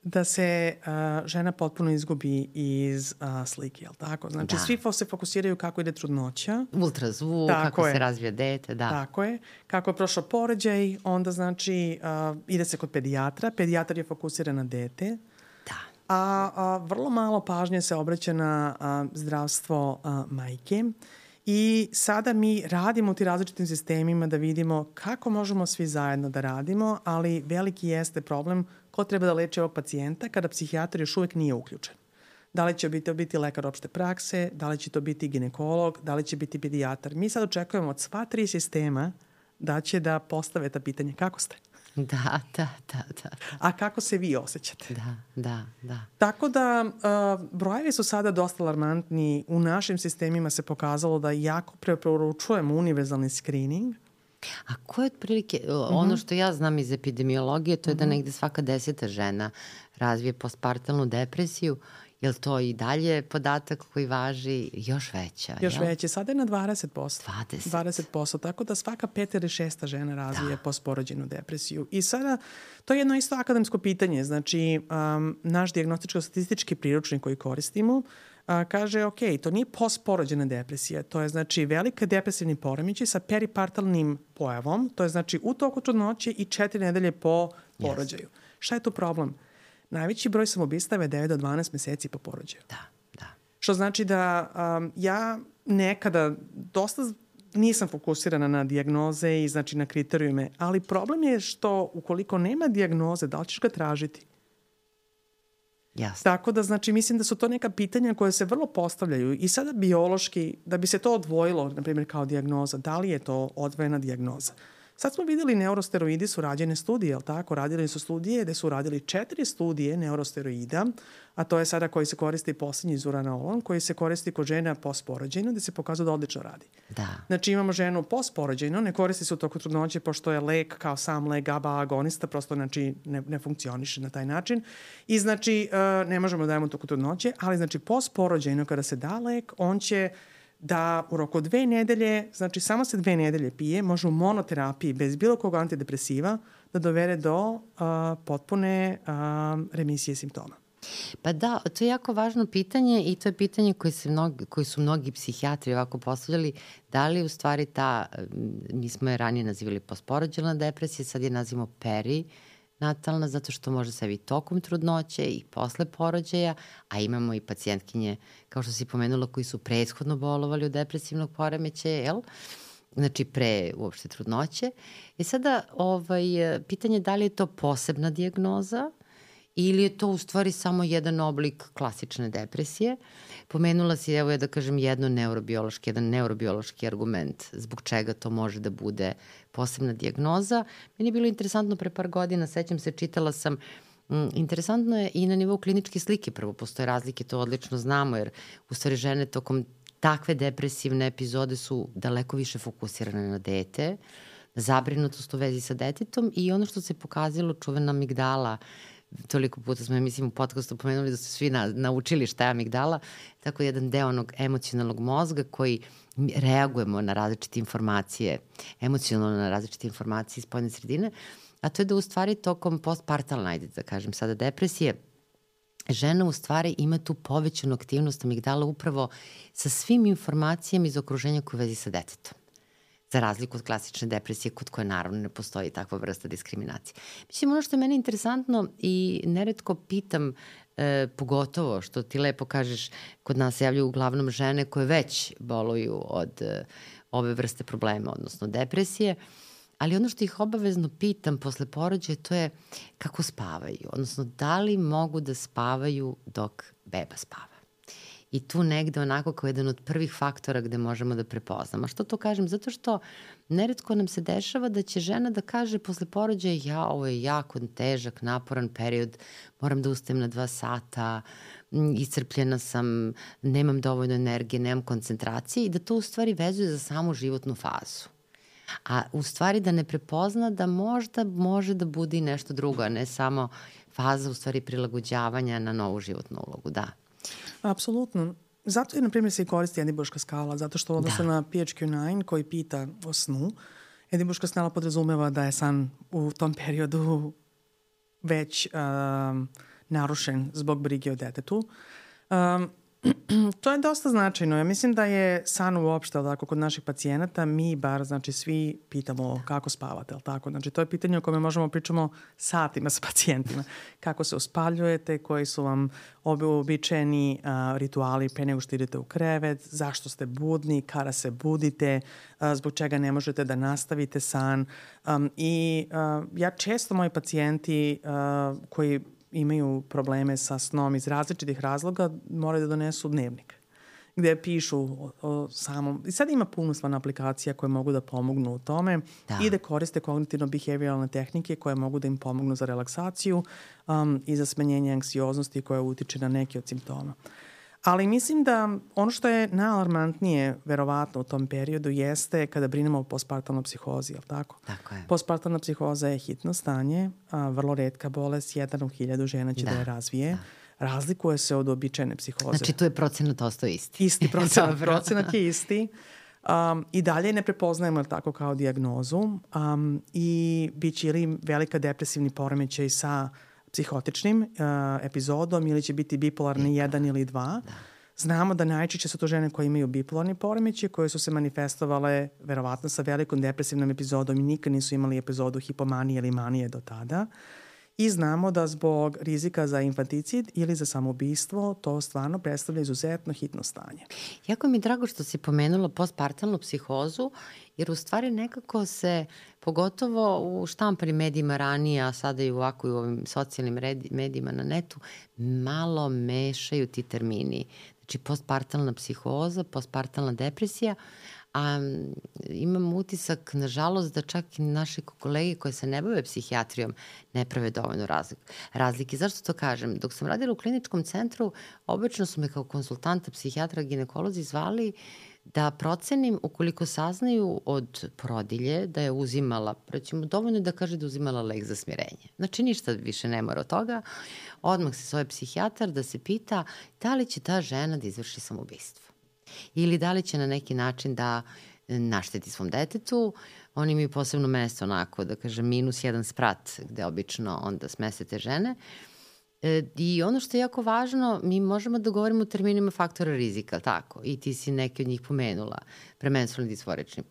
Speaker 1: da se uh, žena potpuno izgubi iz uh, slike, jel tako? Znači, da. Svi se fokusiraju kako ide trudnoća.
Speaker 2: Ultrazvuk, kako je. se razvija dete, da.
Speaker 1: Tako je. Kako je prošao porođaj, onda znači uh, ide se kod pedijatra. Pedijatar je fokusiran na dete.
Speaker 2: Da.
Speaker 1: A, a vrlo malo pažnje se obraća na a, zdravstvo a, majke. I sada mi radimo u tim različitim sistemima da vidimo kako možemo svi zajedno da radimo, ali veliki jeste problem ko treba da leči ovog pacijenta kada psihijatar još uvek nije uključen. Da li će biti, biti lekar opšte prakse, da li će to biti ginekolog, da li će biti pedijatar. Mi sad očekujemo od sva tri sistema da će da postave ta pitanje kako ste.
Speaker 2: Da, da, da, da.
Speaker 1: A kako se vi osjećate?
Speaker 2: Da, da, da.
Speaker 1: Tako da uh, brojevi su sada dosta alarmantni. U našim sistemima se pokazalo da jako preporučujemo univerzalni screening.
Speaker 2: A ko je otprilike, uh-huh. ono što ja znam iz epidemiologije, to je uh-huh. da negde svaka deseta žena razvije postpartalnu depresiju. Je li to i dalje podatak koji važi još veća?
Speaker 1: Još
Speaker 2: jel?
Speaker 1: veće. Sada je na dvadeset posto.
Speaker 2: dvadeset.
Speaker 1: dvadeset posto. Tako da svaka peta ili šesta žena razvije da. postporođajnu depresiju. I sada, to je jedno isto akademsko pitanje. Znači, um, naš dijagnostičko-statistički priručnik koji koristimo uh, kaže, ok, to nije postporođajna depresija. To je, znači, velika depresivni poremećaj sa peripartalnim pojavom. To je, znači, u toku trudnoće i četiri nedelje po porođaju. Yes. Šta je tu problem? Najveći broj samoubistava je devet do dvanaest meseci po porođaju.
Speaker 2: Da, da.
Speaker 1: Što znači da um, ja nekada dosta nisam fokusirana na dijagnoze i znači na kriterijume, ali problem je što ukoliko nema dijagnoze, da li ćeš ga tražiti?
Speaker 2: Jasne.
Speaker 1: Tako da, znači, mislim da su to neka pitanja koje se vrlo postavljaju i sada biološki, da bi se to odvojilo, na primjer, kao dijagnoza, da li je to odvojena dijagnoza? Sad smo videli neurosteroidi su rađene studije, jel tako? Radili su studije gde su radili četiri studije neurosteroida, a to je sada koji se koristi posljednji zuranolon, koji se koristi kod žena postporođajno, gde se pokazuje da odlično radi.
Speaker 2: Da.
Speaker 1: Znači imamo ženu postporođajno, ne koristi se u toku trudnoće pošto je lek kao sam lek GABA agonista, prosto znači ne, ne funkcioniše na taj način i znači uh, ne možemo da dajemo u toku trudnoće, ali znači postporođajno kada se da lek, on će da u roku dve nedelje, znači samo se dve nedelje pije, može u monoterapiji bez bilo kog antidepresiva da dovede do uh, potpune uh, remisije simptoma.
Speaker 2: Pa da, to je jako važno pitanje i to je pitanje koje, se mnogi, koji su mnogi psihijatri ovako postavljali, da li u stvari ta, mi smo je ranije nazivali postporođajna depresija, sad je nazivamo perinatalna, zato što može se i tokom trudnoće i posle porođaja, a imamo i pacijentkinje, kao što si pomenula, koji su prethodno bolovali od depresivnog poremećaja, jel? Znači pre uopšte trudnoće. I sada ovaj, pitanje je da li je to posebna dijagnoza ili je to u stvari samo jedan oblik klasične depresije. Pomenula si, evo ja da kažem, jedno neurobiološki, jedan neurobiološki argument zbog čega to može da bude posebna dijagnoza. Meni je bilo interesantno pre par godina, sećam se, čitala sam, m, interesantno je i na nivou kliničke slike, prvo postoje razlike, to odlično znamo, jer u stvari žene tokom takve depresivne epizode su daleko više fokusirane na dete, na zabrinutost u vezi sa detetom i ono što se pokazalo, čuvena amigdala, toliko puta smo, mislim, u podcastu pomenuli da su svi na, naučili šta je amigdala, tako jedan deo onog emocionalnog mozga koji reagujemo na različite informacije, emocionalno na različite informacije iz spoljne sredine, a to je da u stvari tokom postpartalne, ajde da kažem sada, depresije, žena u stvari ima tu povećanu aktivnost amigdala upravo sa svim informacijama iz okruženja koje vezi sa detetom. Za razliku od klasične depresije kod koje naravno ne postoji takva vrsta diskriminacije. Mislim, ono što je meni interesantno i neretko pitam, e, pogotovo što ti lepo kažeš, kod nas se javljaju uglavnom žene koje već boluju od e, ove vrste problema, odnosno depresije, ali ono što ih obavezno pitam posle porođaja to je kako spavaju, odnosno da li mogu da spavaju dok beba spava. I tu negde onako kao jedan od prvih faktora gde možemo da prepoznamo. A što to kažem? Zato što neretko nam se dešava da će žena da kaže posle porođaja ja, ovo je jako težak, naporan period, moram da ustajem na dva sata, iscrpljena sam, nemam dovoljno energije, nemam koncentracije i da to u stvari vezuje za samu životnu fazu. A u stvari da ne prepozna da možda može da bude i nešto drugo, a ne samo faza u stvari prilagođavanja na novu životnu ulogu, da.
Speaker 1: Apsolutno. Zato je, na primjer, se i koristi Edinburška skala, zato što odnosno
Speaker 2: da.
Speaker 1: na P H Q devet koji pita o snu, Edinburška skala podrazumeva da je san u tom periodu već um, narušen zbog brige o detetu. Um, to je dosta značajno. Ja mislim da je san uopšte, tako, kod naših pacijenata, mi bar, znači, svi pitamo kako spavate, ali tako? Znači, to je pitanje o kome možemo pričamo satima sa pacijentima. Kako se uspaljujete, koji su vam običajeni uh, rituali pre nego što idete u krevet, zašto ste budni, kada se budite, uh, zbog čega ne možete da nastavite san. Um, I uh, ja često moji pacijenti uh, koji imaju probleme sa snom iz različitih razloga, moraju da donesu dnevnik gde pišu o, o samom... I sad ima puno aplikacija koje mogu da pomognu u tome da. I da koriste kognitivno-behavioralne tehnike koje mogu da im pomognu za relaksaciju um, i za smanjenje anksioznosti koja utiče na neke od simptoma. Ali mislim da ono što je najalarmantnije verovatno u tom periodu jeste kada brinemo o postpartalnoj psihozi, je li tako?
Speaker 2: Tako je.
Speaker 1: Postpartalna psihoza je hitno stanje, a, vrlo retka bolest, jedan u hiljadu žena će da, da je razvije. Da. Razlikuje se od običajne psihoze.
Speaker 2: Znači tu je procenat ostao isti.
Speaker 1: Isti procenat, procenat je isti. Um, I dalje ne prepoznajemo tako kao dijagnozu um, i bit će ili velika depresivni poremećaj sa psihotičnim uh, epizodom ili će biti bipolarni jedan ili dva. Da. Znamo da najčešće su to žene koje imaju bipolarni poremećaj, koje su se manifestovale verovatno sa velikom depresivnom epizodom i nikad nisu imali epizodu hipomanije ili manije do tada. I znamo da zbog rizika za infanticid ili za samoubistvo to stvarno predstavlja izuzetno hitno stanje.
Speaker 2: Jako mi je drago što si pomenula postpartalnu psihozu, jer u stvari nekako se, pogotovo u štampanim medijima ranije, a sada i ovako i u ovim socijalnim medijima na netu, malo mešaju ti termini. Znači, postpartalna psihoza, postpartalna depresija, a imam utisak, nažalost, da čak i naše kolege koje se ne bave psihijatrijom ne prave dovoljno razlike. Zašto to kažem? Dok sam radila u kliničkom centru, obično su me kao konsultanta, psihijatra, ginekolozi zvali da procenim ukoliko saznaju od porodilje da je uzimala, recimo dovoljno da kaže da je uzimala lek za smirenje. Znači ništa više ne mora od toga. Odmah se zove psihijatar da se pita da li će ta žena da izvrši samoubistvo. Ili da li će na neki način da našteti svom detetu. Oni imaju posebno mesto onako, da kažem, minus jedan sprat gde obično onda smeste te žene. I ono što je jako važno, mi možemo da govorimo o terminima faktora rizika, tako? I ti si neke od njih pomenula. Premenstrualni disforični,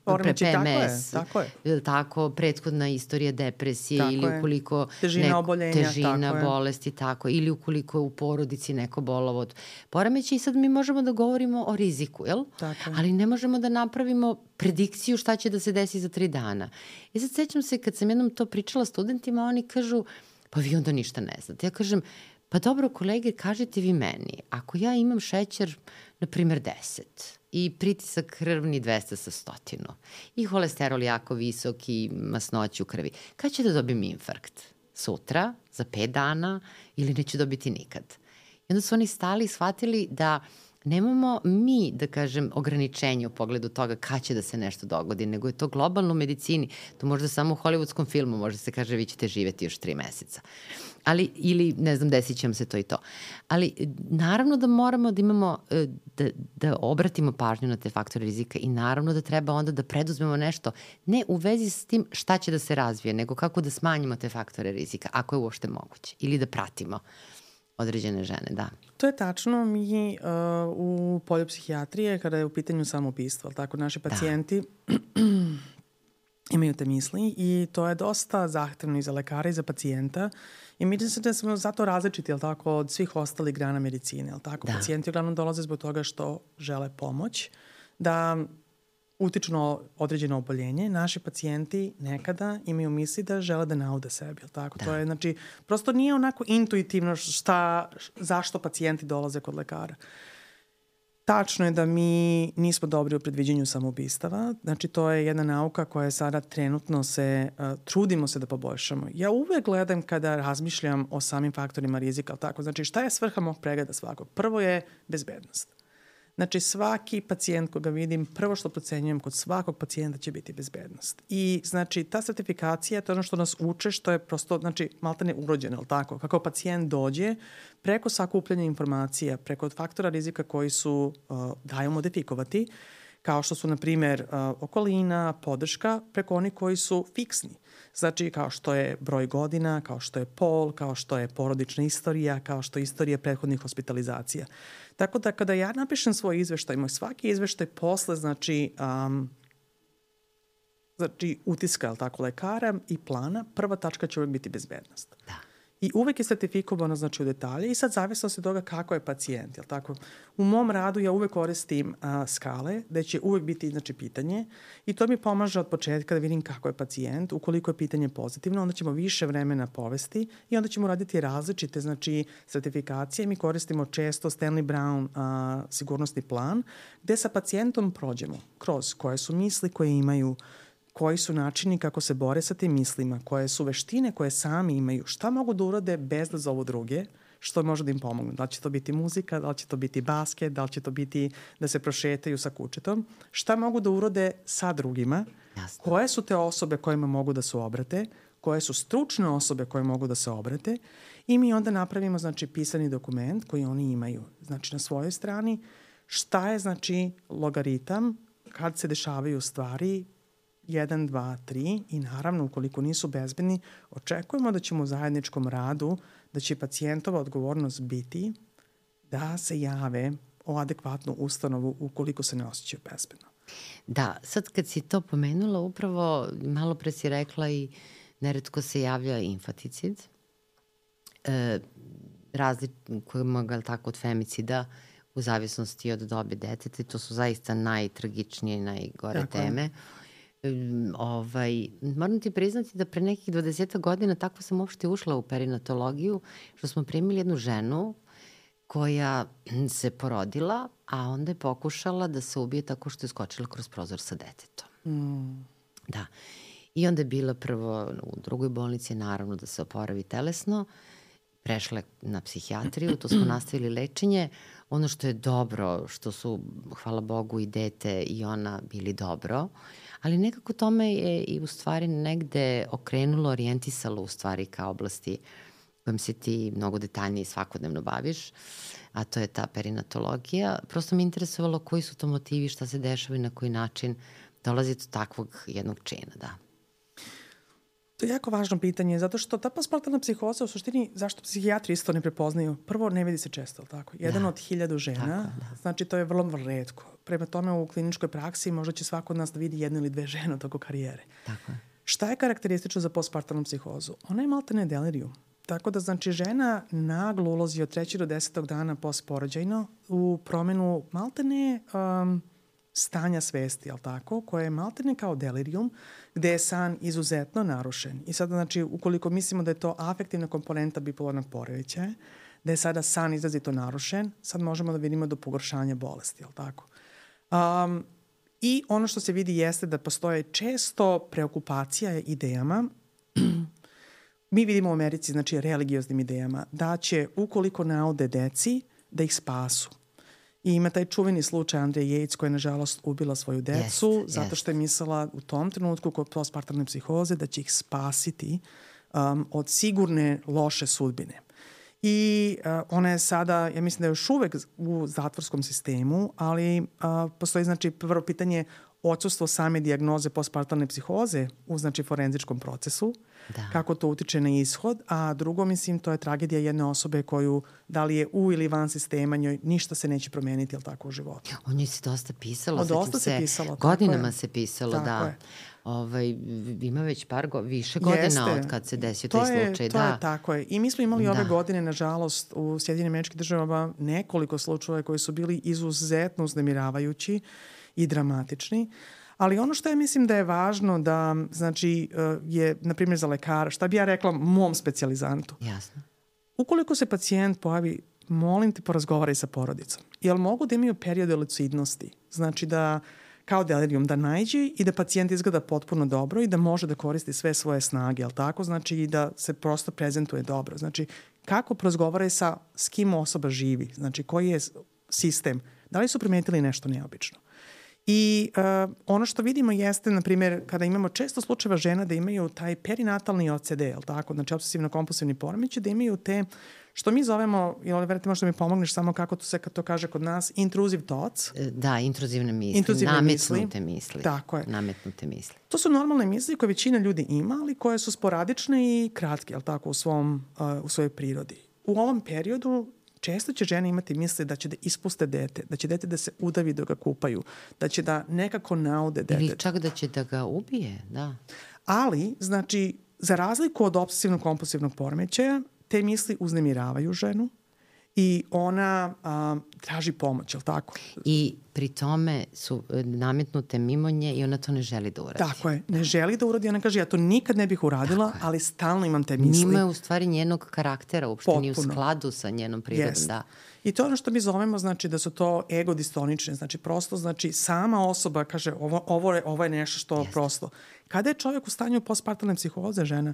Speaker 2: pre P M S,
Speaker 1: tako je, tako je.
Speaker 2: Tako, prethodna istorija depresije tako ili ukoliko...
Speaker 1: Težina neko, oboljenja,
Speaker 2: težina,
Speaker 1: tako
Speaker 2: bolesti, tako. Ili ukoliko u porodici neko bolovo od poremeća i sad mi možemo da govorimo o riziku, jel?
Speaker 1: Tako je.
Speaker 2: Ali ne možemo da napravimo predikciju šta će da se desi za tri dana. I sad sećam se kad sam jednom to pričala studentima, oni kažu pa vi onda ništa ne znate. Ja kažem, pa dobro kolege, kažete vi meni, ako ja imam šećer, na primjer deset, i pritisak krvni dvesta sa stotinu, i holesterol jako visok i masnoću u krvi, kad ću da dobijem infarkt? Sutra, za pet dana, ili neću dobiti nikad? I onda su oni stali i shvatili da nemamo mi, da kažem, ograničenje u pogledu toga kad će da se nešto dogodi, nego je to globalno u medicini. To možda samo u hollywoodskom filmu može se kaže vi ćete živeti još tri meseca. Ali, ili, ne znam, desit će vam se to i to. Ali, naravno da moramo da imamo, da, da obratimo pažnju na te faktore rizika i naravno da treba onda da preduzmemo nešto, ne u vezi s tim šta će da se razvije, nego kako da smanjimo te faktore rizika, ako je uopšte moguće, ili da pratimo određene žene, da.
Speaker 1: To je tačno. Mi uh, u polju psihijatrije, kada je u pitanju samoubistvo, tako naši pacijenti da. imaju te misli i to je dosta zahtevno i za lekara i za pacijenta. I mi se da smo zato različiti, jel tako, od svih ostalih grana medicine, jel tako? Da. Pacijenti uglavnom dolaze zbog toga što žele pomoć, da utiču na određeno oboljenje. Naši pacijenti nekada imaju misli da žele da naude sebi, jel tako? Da. To je, znači, prosto nije onako intuitivno šta, zašto pacijenti dolaze kod lekara. Tačno je da mi nismo dobri u predviđenju samoubistava. Znači, to je jedna nauka koja sada trenutno se, uh, trudimo se da poboljšamo. Ja uvek gledam kada razmišljam o samim faktorima rizika, jel tako? Znači, šta je svrha mog pregleda svakog? Prvo je bezbednost. Znači, svaki pacijent koga vidim, prvo što procenjujem kod svakog pacijenta će biti bezbednost. I, znači, ta sertifikacija, to je ono što nas uče, što je prosto, znači, maltene urođeno, ali tako? Kako pacijent dođe, preko sakupljanja informacija, preko faktora rizika koji su, uh, daju modifikovati, kao što su, na primjer, uh, okolina, podrška, preko onih koji su fiksni. Znači, kao što je broj godina, kao što je pol, kao što je porodična istorija, kao što je istorija prethodnih hospitalizacija. Tako da kada ja napišem svoj izveštaj, moj svaki izveštaj posle, znači, um, znači utiska, tako, lekara i plana, prva tačka će uvek biti bezbednost.
Speaker 2: Da.
Speaker 1: I uvek je sertifikovano, znači, u detalje i sad zavisno se toga kako je pacijent, jel tako? U mom radu ja uvek koristim a, skale, gde će uvek biti, znači, pitanje i to mi pomaže od početka da vidim kako je pacijent. Ukoliko je pitanje pozitivno, onda ćemo više vremena povesti i onda ćemo raditi različite, znači, sertifikacije. Mi koristimo često Stanley Brown a, sigurnosni plan, gde sa pacijentom prođemo kroz koje su misli koje imaju, koji su načini kako se bore sa tim mislima, koje su veštine koje sami imaju, šta mogu da urade bez da zovu druge, što može da im pomogne. Da li će to biti muzika, da li će to biti basket, da li će to biti da se prošetaju sa kućetom, šta mogu da urade sa drugima, Jasne. Koje su te osobe kojima mogu da se obrate, koje su stručne osobe koje mogu da se obrate i mi onda napravimo, znači, pisani dokument koji oni imaju, znači, na svojoj strani, šta je, znači, logaritam kad se dešavaju stvari jedan, dva, tri i naravno ukoliko nisu bezbedni, očekujemo da ćemo u zajedničkom radu, da će pacijentova odgovornost biti da se jave o adekvatnu ustanovu ukoliko se ne osjećaju bezbedno.
Speaker 2: Da, sad kad si to pomenula, upravo malo pre si rekla i neretko se javlja infanticid, e, razlikujemo ga tako od femicida u zavisnosti od dobe deteta. To su zaista najtragičnije i najgore tako teme. Um, ovaj, moram ti priznati da pre nekih dvadeset godina tako sam uopšte ušla u perinatologiju, što smo primili jednu ženu koja se porodila, a onda je pokušala da se ubije tako što je skočila kroz prozor sa detetom.
Speaker 1: Mm.
Speaker 2: Da. I onda je bila prvo u drugoj bolnici, naravno da se oporavi telesno, prešla na psihijatriju, to smo nastavili lečenje. Ono što je dobro, što su, hvala Bogu, i dete i ona bili dobro, ali nekako tome je i u stvari negde okrenulo, orijentisalo u stvari ka oblasti kojom se ti mnogo detaljnije svakodnevno baviš, a to je ta perinatologija. Prosto me interesovalo koji su to motivi, šta se dešava i na koji način dolazi do takvog jednog čina, da.
Speaker 1: To je jako važno pitanje, zato što ta postpartalna psihoza u suštini, zašto psihijatri isto ne prepoznaju? Prvo, ne vidi se često, tako? Jedan da. od hiljadu žena, tako, da. Znači to je vrlo, vrlo retko. Prema tome u kliničkoj praksi možda će svako od nas da vidi jednu ili dve žene od toga karijere.
Speaker 2: Tako je.
Speaker 1: Šta je karakteristično za postpartalnu psihozu? Ona je maltene delirium. Tako da, znači, žena naglo ulazi od trećeg do desetog dana postporođajno u promenu maltene um, stanja svesti, jel tako, koje je maltene kao delirium, gde je san izuzetno narušen. I sada, znači, ukoliko mislimo da je to afektivna komponenta bipolarnog poremećaja, da je sada san izrazito narušen, sad možemo da vidimo do pogoršanja bolesti, jel tako? Um, I ono što se vidi jeste da postoje često preokupacija idejama. Mi vidimo u Americi, znači, religioznim idejama, da će, ukoliko naude deci, da ih spasu. I ima taj čuveni slučaj Andreja Yates koja je, nažalost, ubila svoju decu yes, zato što je mislila u tom trenutku kod postpartalne psihoze da će ih spasiti um, od sigurne loše sudbine. I uh, ona je sada, ja mislim da je još uvek u zatvorskom sistemu, ali uh, postoji, znači, prvo pitanje odsustvo same dijagnoze postpartalne psihoze u, znači, forenzičkom procesu, da. Kako to utiče na ishod, a drugo, mislim, to je tragedija jedne osobe koju, da li je u ili van sistema, njoj ništa se neće promeniti, jel tako, u životu.
Speaker 2: O njoj se dosta pisalo.
Speaker 1: O dosta se pisalo.
Speaker 2: Godinama se pisalo,
Speaker 1: tako
Speaker 2: da.
Speaker 1: Je.
Speaker 2: Ovaj, ima već par go, više godina Jeste. Od kad se desio taj
Speaker 1: je,
Speaker 2: slučaj.
Speaker 1: To
Speaker 2: da.
Speaker 1: je tako je. I mi smo imali da. Ove godine, nažalost, u Sjedinjenim Američkim Državama nekoliko slučajeva koji su bili izuzetno uznemiravajući i dramatični. Ali ono što ja mislim da je važno da, znači, je, na primjer, za lekara, šta bi ja rekla mom specijalizantu?
Speaker 2: Jasno.
Speaker 1: Ukoliko se pacijent pojavi, molim te, porazgovaraj sa porodicom. Jel mogu da imaju periode lucidnosti? Znači da, kao delirium, da najđe i da pacijent izgleda potpuno dobro i da može da koristi sve svoje snage, jel tako? Znači i da se prosto prezentuje dobro. Znači, kako porazgovaraj sa, s kim osoba živi? Znači, koji je sistem? Da li su primetili nešto neobično? I uh, ono što vidimo jeste, na primjer, kada imamo često slučajeva žena da imaju taj perinatalni O C D, jel tako? Znači, obsesivno-kompulsivni poremećaj, da imaju te, što mi zovemo, jel, verite, možda mi pomogneš samo kako to se to kaže kod nas, intrusive thoughts.
Speaker 2: Da, intruzivne misli,
Speaker 1: intruzivne
Speaker 2: nametnute
Speaker 1: misli.
Speaker 2: misli.
Speaker 1: Tako je.
Speaker 2: Nametnute misli.
Speaker 1: To su normalne misli koje većina ljudi ima, ali koje su sporadične i kratke, jel tako, u, svom, uh, u svojoj prirodi. U ovom periodu često će žene imati misle da će da ispuste dete, da će dete da se udavi dok ga kupaju, da će da nekako naude dete.
Speaker 2: Ili čak da će da ga ubije, da.
Speaker 1: Ali, znači, za razliku od obsesivno-kompulsivnog poremećaja, te misli uznemiravaju ženu i ona a, traži pomoć, je li tako?
Speaker 2: I pri tome su nametnute mimo nje i ona to ne želi da uradi.
Speaker 1: Tako je, ne želi da uradi, ona kaže ja to nikad ne bih uradila, ali stalno imam te misli.
Speaker 2: Nima je u stvari njenog karaktera, uopšte nije u skladu sa njenom prirodom.
Speaker 1: Yes.
Speaker 2: Da.
Speaker 1: I to je ono što mi zovemo, znači da su to egodistonične, znači prosto, znači sama osoba kaže ovo, ovo, je, ovo je nešto što Jest. Prosto. Kada je čovjek u stanju postpartalne psihoze, žena,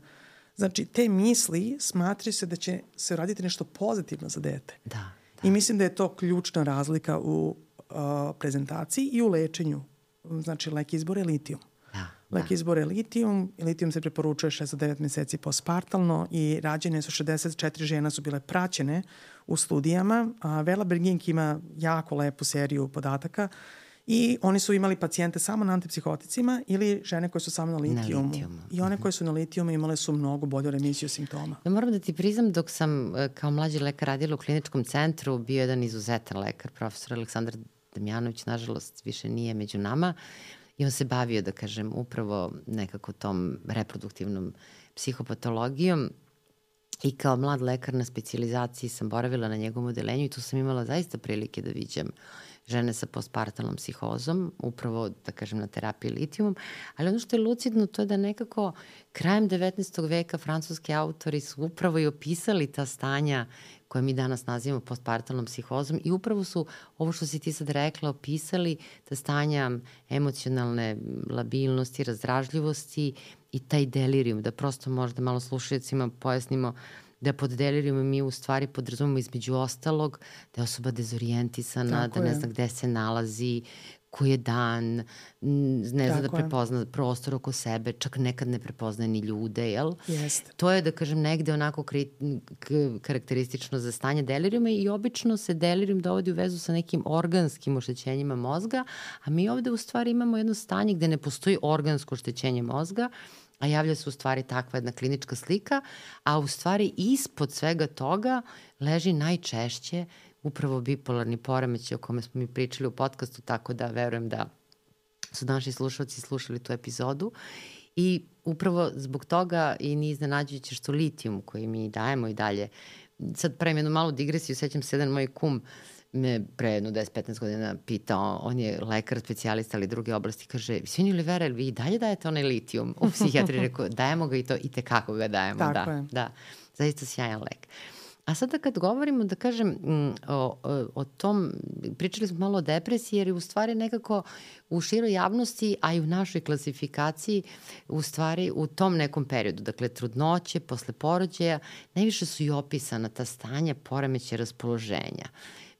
Speaker 1: znači te misli smatraju se da će se raditi nešto pozitivno za dete.
Speaker 2: Da, da.
Speaker 1: I mislim da je to ključna razlika u uh, prezentaciji i u lečenju. Znači, lek izbor je litijum.
Speaker 2: Da,
Speaker 1: lek
Speaker 2: da.
Speaker 1: izbor je litijum i litijum se preporučuje šest do devet meseci postpartalno i rađene su šezdeset četiri žena su bile praćene u studijama. A Vela Bergink ima jako lepu seriju podataka i oni su imali pacijente samo na antipsihoticima ili žene koje su samo na litijumu. Na litijumu. I one koje su na litijumu imale su mnogo bolju remisiju simptoma.
Speaker 2: Ja moram da ti priznam, dok sam kao mlađi lekar radila u kliničkom centru, bio jedan izuzetan lekar, profesor Aleksandar Damjanović, nažalost, više nije među nama. I on se bavio, da kažem, upravo nekako tom reproduktivnom psihopatologijom. I kao mlad lekar na specijalizaciji sam boravila na njegovom odelenju i tu sam imala zaista prilike da viđam žene sa postpartalnom psihozom, upravo, da kažem, na terapiji litijumom. Ali ono što je lucidno, to je da nekako krajem devetnaestog veka francuski autori su upravo i opisali ta stanja koje mi danas nazivamo postpartalnom psihozom i upravo su, ovo što si ti sad rekla, opisali ta stanja emocionalne labilnosti, razdražljivosti i taj delirijum, da prosto možda malo slušajcima pojasnimo da pod delirijumom mi u stvari podrazumemo između ostalog da je osoba dezorijentisana, da ne zna gde se nalazi, koji je dan, ne zna da prepozna prostor oko sebe, čak nekad ne prepoznaje ni ljude, jel?
Speaker 1: Jeste.
Speaker 2: To je, da kažem, negde onako karakteristično za stanje delirijuma i obično se delirijum dovodi u vezu sa nekim organskim oštećenjima mozga, a mi ovde u stvari imamo jedno stanje gde ne postoji organsko oštećenje mozga, a javlja se u stvari takva jedna klinička slika, a u stvari ispod svega toga leži najčešće upravo bipolarni poremećaj o kome smo mi pričali u podcastu, tako da verujem da su naši slušalci slušali tu epizodu. I upravo zbog toga i nije iznenađujuće što litijum koji mi dajemo i dalje, sad pravim jednu malu digresiju, sećam se jedan moj kum me pre jedno deset do petnaest godina pitao, on je lekar, specijalista ali druge oblasti, kaže, Svinji Olivera, vi i dalje dajete onaj litijum? U psihijatriji rekao, dajemo ga i to i tekako ga dajemo.
Speaker 1: Tako
Speaker 2: da,
Speaker 1: je.
Speaker 2: Da, zaista sjajan lek. A sada kad govorimo, da kažem, o, o, o tom, pričali smo malo o depresiji, jer je u stvari nekako u široj javnosti, a i u našoj klasifikaciji, u stvari u tom nekom periodu, dakle trudnoće, posle porođaja, najviše su i opisana ta stanja poremećaja raspoloženja.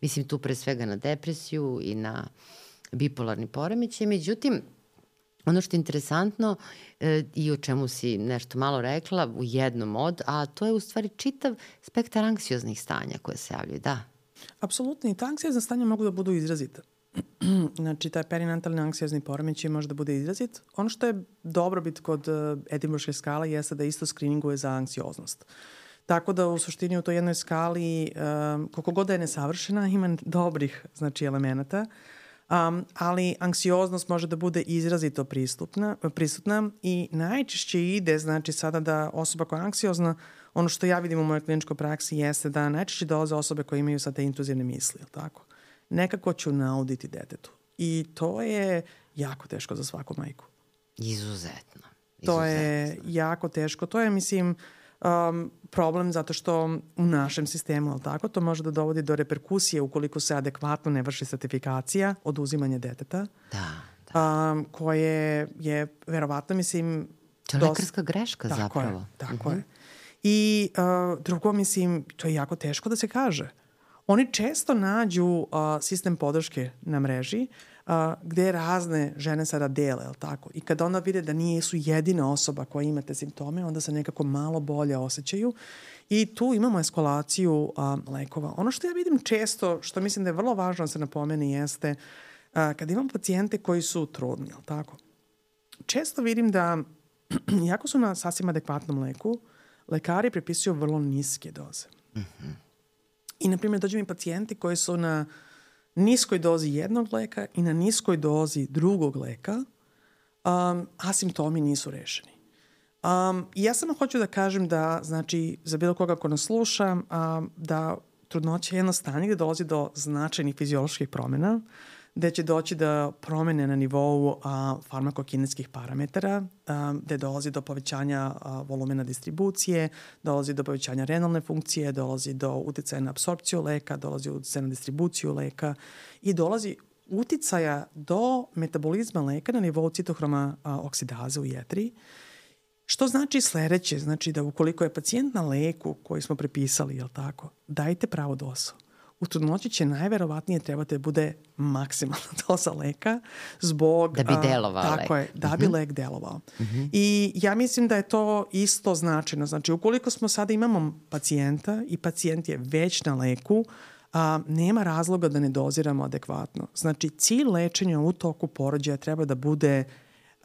Speaker 2: Mislim tu pre svega na depresiju i na bipolarni poremećaj. Međutim, ono što je interesantno e, i o čemu si nešto malo rekla u jednom od, a to je u stvari čitav spektar anksioznih stanja koje se javljaju, da.
Speaker 1: Apsolutno, i ta anksiozna stanja mogu da budu izrazita. Znači, taj perinatalni anksiozni poremećaj može da bude izrazit. Ono što je dobrobit kod uh, Edinburške skale jeste da isto skrininguje za anksioznost. Tako da u suštini u toj jednoj skali, um, koliko god da je nesavršena, ima dobrih, znači, elemenata, um, ali anksioznost može da bude izrazito pristupna, prisutna i najčešće ide, znači, sada da osoba koja je anksiozna, ono što ja vidim u mojoj kliničkoj praksi jeste da najčešće dolaze osobe koje imaju sad te intruzivne misli, ili tako? Nekako ću nauditi detetu. I to je jako teško za svaku majku.
Speaker 2: Izuzetno. Izuzetno.
Speaker 1: To je jako teško. To je, mislim, um, problem zato što u našem sistemu, ali tako, to može da dovodi do reperkusije ukoliko se adekvatno ne vrši sertifikacija oduzimanja deteta.
Speaker 2: Da, da.
Speaker 1: Um, koje je, verovatno, mislim...
Speaker 2: To je dosta... lekarska greška
Speaker 1: tako
Speaker 2: zapravo.
Speaker 1: Je, tako
Speaker 2: uh-huh.
Speaker 1: je. I uh, drugo, mislim, to je jako teško da se kaže. Oni često nađu uh, sistem podrške na mreži uh, gde razne žene sada dele, jel tako? I kada onda vide da nisu jedina osoba koja ima te simptome, onda se nekako malo bolje osjećaju. I tu imamo eskalaciju uh, lekova. Ono što ja vidim često, što mislim da je vrlo važno da se napomeni, jeste uh, kada imam pacijente koji su trudni, jel tako? Često vidim da, jako su na sasvim adekvatnom leku, lekari prepisuju vrlo niske doze.
Speaker 2: Mhm.
Speaker 1: I, na primjer, dođu mi pacijenti koji su na niskoj dozi jednog leka i na niskoj dozi drugog leka, um, a simptomi nisu rešeni. Um, I ja samo hoću da kažem da, znači, za bilo koga ko nas sluša, um, da trudnoća je jedno stanje gde dolazi do značajnih fizioloških promjena, gde će doći do promene na nivou a, farmakokinetskih parametara, a, gde dolazi do povećanja a, volumena distribucije, dolazi do povećanja renalne funkcije, dolazi do uticaja na apsorpciju leka, dolazi do uticaja na distribuciju leka i dolazi uticaja do metabolizma leka na nivou citohroma a, oksidaze u jetri. Što znači sledeće? Znači da ukoliko je pacijent na leku koji smo prepisali, jel tako, dajte pravu dozu. U trudnoći će najverovatnije trebate da bude maksimalna doza leka zbog...
Speaker 2: Da bi delovao
Speaker 1: a,
Speaker 2: lek.
Speaker 1: Tako je, da bi uh-huh. lek delovao. Uh-huh. I ja mislim da je to isto značajno. Znači, ukoliko smo sada imamo pacijenta i pacijent je već na leku, a, nema razloga da ne doziramo adekvatno. Znači, cilj lečenja u toku porođaja treba da bude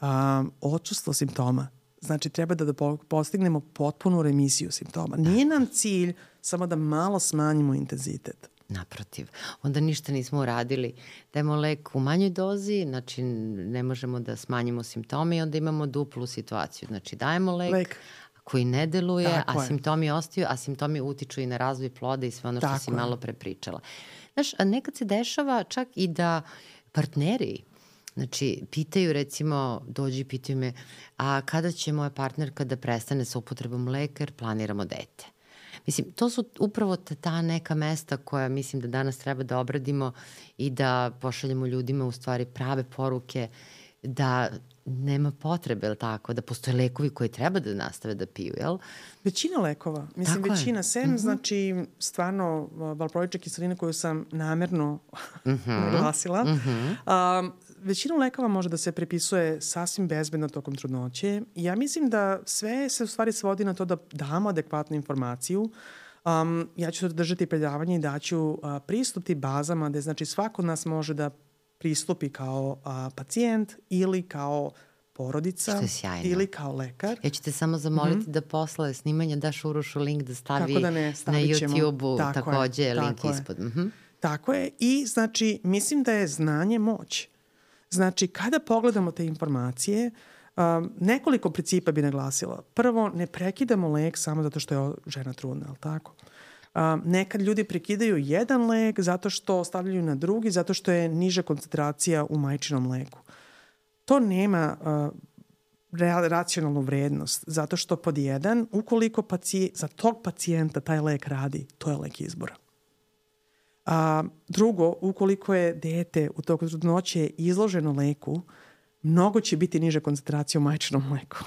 Speaker 1: a, odsustvo simptoma. Znači, treba da, da postignemo potpunu remisiju simptoma. Nije nam cilj samo da malo smanjimo intenzitet.
Speaker 2: Naprotiv. Onda ništa nismo uradili. Dajemo lek u manjoj dozi, znači ne možemo da smanjimo simptome i onda imamo duplu situaciju. Znači dajemo lek, lek. koji ne deluje, Tako a je. simptomi ostaju, a simptomi utiču i na razvoj ploda i sve ono što Tako si je. malo prepričala. Znaš, nekad se dešava čak i da partneri, znači, pitaju recimo, dođu i pitaju me, a kada će moja partnerka da prestane sa upotrebom leka jer planiramo dete? Mislim, to su upravo ta neka mesta koja mislim da danas treba da obradimo i da pošaljemo ljudima u stvari prave poruke da nema potrebe, ili tako, da postoje lekovi koji treba da nastave da piju, jel?
Speaker 1: Većina lekova, mislim tako većina, je. sem mm-hmm. znači stvarno valproična kiselina koju sam namerno mm-hmm. naglasila, mm-hmm. um, većina lekova može da se prepisuje sasvim bezbedno tokom trudnoće. Ja mislim da sve se u stvari svodi na to da damo adekvatnu informaciju. Um, ja ću držati predavanje i daću uh, pristup tim bazama gde znači svako od nas može da pristupi kao uh, pacijent ili kao porodica ili kao lekar.
Speaker 2: Ja ću te samo zamoliti mm-hmm. da posle snimanja daš Urošu link da stavi da ne, na YouTube-u takođe je, link tako ispod. Mm-hmm.
Speaker 1: Tako je i znači mislim da je znanje moć. Znači kada pogledamo te informacije, um, nekoliko principa bi naglasila. Prvo, ne prekidamo lek samo zato što je žena trudna, ali tako? Um, nekad ljudi prekidaju jedan lek zato što stavljaju na drugi, zato što je niža koncentracija u majčinom leku. To nema uh, racionalnu vrednost, zato što pod jedan, ukoliko pacijent, za tog pacijenta taj lek radi, to je lek izbora. A, drugo, ukoliko je dete u toku trudnoće izloženo leku, mnogo će biti niža koncentracija u majčinom mleku.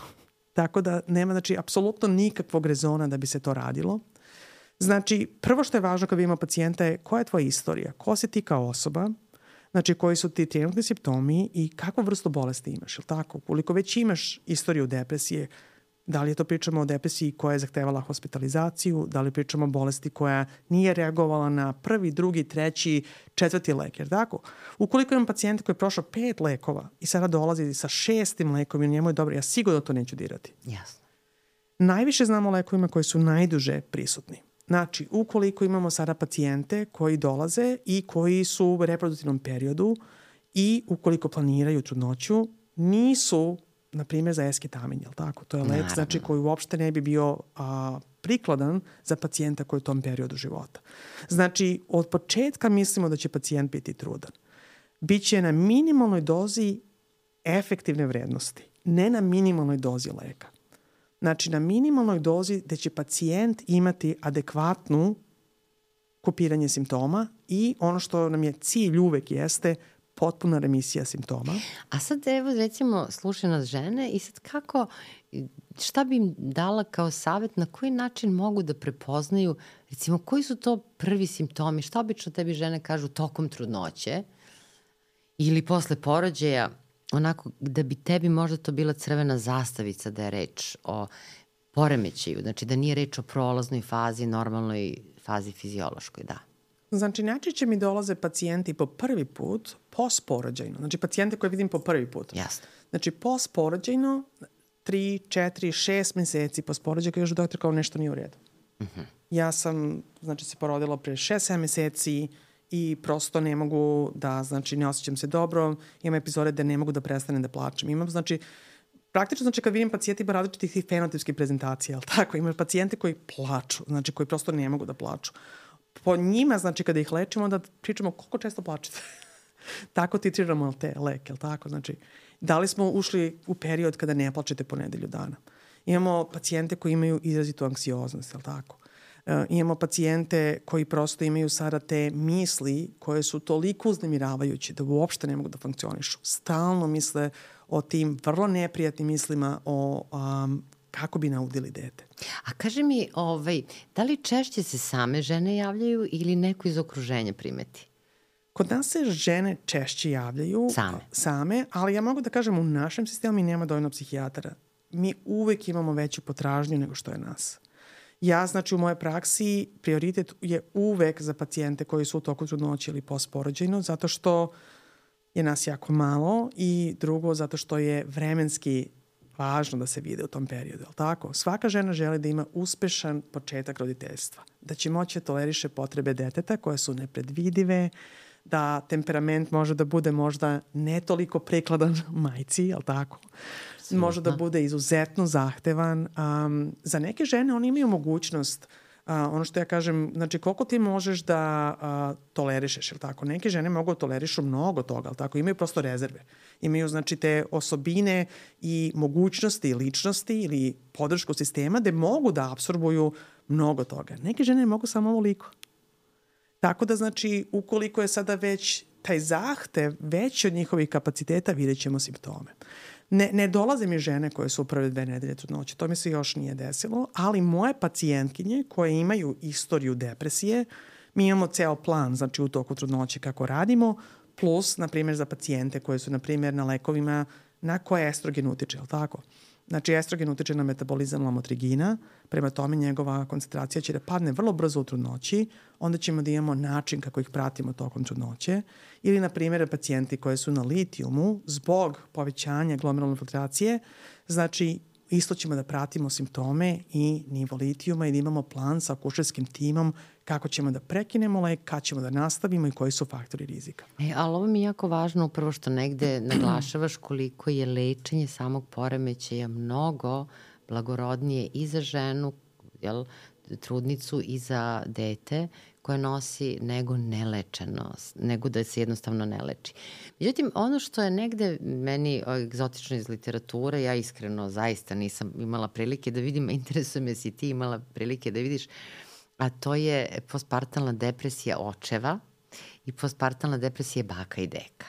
Speaker 1: Tako da nema, znači, apsolutno nikakvog rezona da bi se to radilo. Znači, prvo što je važno kad imamo pacijenta je koja je tvoja istorija, ko si ti kao osoba, znači koji su ti trenutni simptomi i kakvu vrstu bolesti imaš, ili tako? Ukoliko već imaš istoriju depresije, da li je to pričamo o depresiji koja je zahtevala hospitalizaciju, da li pričamo o bolesti koja nije reagovala na prvi, drugi, treći, četvrti lek, jer tako? Ukoliko imam pacijenta koji je prošao pet lekova i sada dolazi sa šestim lekom i njemu je dobro, ja sigurno to neću dirati.
Speaker 2: Jasno.
Speaker 1: Najviše znamo o lekovima koji su najduže prisutni. Znači, ukoliko imamo sada pacijente koji dolaze i koji su u reproduktivnom periodu i ukoliko planiraju trudnoću, nisu na primjer za esketamin, jel tako? To je lek znači, koji uopšte ne bi bio a, prikladan za pacijenta koji je u tom periodu života. Znači, od početka mislimo da će pacijent biti trudan. Biće na minimalnoj dozi efektivne vrednosti, ne na minimalnoj dozi leka. Znači, na minimalnoj dozi gde će pacijent imati adekvatnu kopiranje simptoma i ono što nam je cilj uvek jeste potpuna remisija simptoma.
Speaker 2: A sad evo recimo slušaju nas žene i sad kako, šta bi im dala kao savjet, na koji način mogu da prepoznaju, recimo koji su to prvi simptomi, šta obično tebi žene kažu tokom trudnoće ili posle porođaja, onako da bi tebi možda to bila crvena zastavica da je reč o poremećaju, znači da nije reč o prolaznoj fazi, normalnoj fazi fiziološkoj, da.
Speaker 1: Znači, najčešće mi dolaze pacijenti po prvi put postporođajno. Znači, pacijente koje vidim po prvi put.
Speaker 2: Jasno.
Speaker 1: Znači, postporođajno, tri, četiri, šest meseci postporođaj, kažu doktor kao nešto nije u redu. Uh-huh. Ja sam, znači, se porodila pre šest, sedam meseci i prosto ne mogu da, znači, ne osjećam se dobro. Imam epizode da ne mogu da prestanem da plačem. Imam, znači, praktično, znači, kad vidim pacijenti ima različitih fenotipskih prezentacija, ali tako, imam pacijente koji plaču, znači, koji prosto ne mogu da plaču. Po njima, znači, kada ih lečimo, onda pričamo koliko često plačete. Tako titriramo te leke, tako? Znači, da li smo ušli u period kada ne plačete po nedelju dana? Imamo pacijente koji imaju izrazitu anksioznost, jel tako? E, imamo pacijente koji prosto imaju sada te misli koje su toliko uznemiravajuće da uopšte ne mogu da funkcionišu. Stalno misle o tim vrlo neprijatnim mislima o um, kako bi naudili dete.
Speaker 2: A kaži mi, ovaj, da li češće se same žene javljaju ili neko iz okruženja primeti?
Speaker 1: Kod nas se žene češće javljaju
Speaker 2: same.
Speaker 1: same, ali ja mogu da kažem u našem sistemu mi nema dovoljno psihijatara. Mi uvek imamo veću potražnju nego što je nas. Ja, znači, u mojoj praksi prioritet je uvek za pacijente koji su u toku trudnoće ili postporođajno, zato što je nas jako malo i drugo, zato što je vremenski važno da se vide u tom periodu, ali tako? Svaka žena želi da ima uspešan početak roditeljstva, da će moći da toleriše potrebe deteta koje su nepredvidive, da temperament može da bude možda ne toliko prikladan majci, ali tako? Može da bude izuzetno zahtevan. Um, za neke žene oni imaju mogućnost, uh, ono što ja kažem, znači koliko ti možeš da uh, tolerišeš, ili tako? Neke žene mogu da tolerišu mnogo toga, ali tako? Imaju prosto rezerve. Imaju znači te osobine i mogućnosti i ličnosti ili podršku sistema gde mogu da apsorbuju mnogo toga. Neke žene mogu samo ovoliko. Tako da znači ukoliko je sada već taj zahtev veći od njihovih kapaciteta, vidjet ćemo simptome. Ne, ne dolaze mi žene koje su u prve dve nedelje trudnoće, to mi se još nije desilo, ali moje pacijentkinje koje imaju istoriju depresije, mi imamo ceo plan, znači u toku trudnoće kako radimo, plus, na primjer, za pacijente koje su, na primjer, na lekovima na koje estrogen utiče, je li tako? Znači, estrogen utiče na metabolizam lamotrigina, prema tome njegova koncentracija će da padne vrlo brzo u trudnoći, onda ćemo da imamo način kako ih pratimo tokom trudnoće. Ili, na primjer, pacijenti koji su na litijumu zbog povećanja glomerulne filtracije, znači isto ćemo da pratimo simptome i nivo litijuma i da imamo plan sa akušerskim timom kako ćemo da prekinemo lek, kad ćemo da nastavimo i koji su faktori rizika.
Speaker 2: E, ali ovo mi je jako važno upravo što negde naglašavaš koliko je lečenje samog poremećaja mnogo blagorodnije i za ženu, jel, trudnicu i za dete koje nosi nego nelečeno, nego da se jednostavno ne leči. Međutim, ono što je negde meni egzotično iz literature, ja iskreno zaista nisam imala prilike da vidim, interesuje me si ti imala prilike da vidiš, a to je postpartalna depresija očeva i postpartalna depresija baka i deka.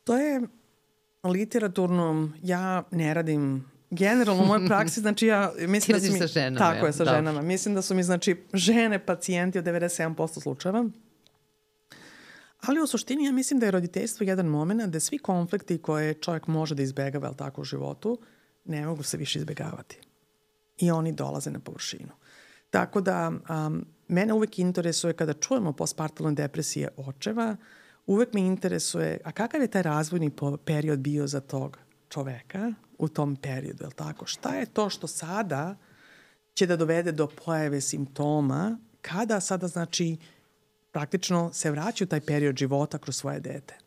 Speaker 1: To je literaturno, ja ne radim generalno u mojoj praksi, znači ja mislim da su mi...
Speaker 2: sa ženama.
Speaker 1: Tako je, sa da. ženama. Mislim da su mi, znači, žene pacijenti od devedeset sedam posto slučajeva. Ali u suštini ja mislim da je roditeljstvo jedan moment da svi konflikti koje čovjek može da izbegava, ali tako u životu, ne mogu se više izbegavati. I oni dolaze na površinu. Tako da um, mene uvek interesuje kada čujemo postpartalne depresije očeva, uvek me interesuje, a kakav je taj razvojni period bio za tog čoveka u tom periodu, je li tako? Šta je to što sada će da dovede do pojave simptoma kada sada, znači, praktično se vraća u taj period života kroz svoje dete.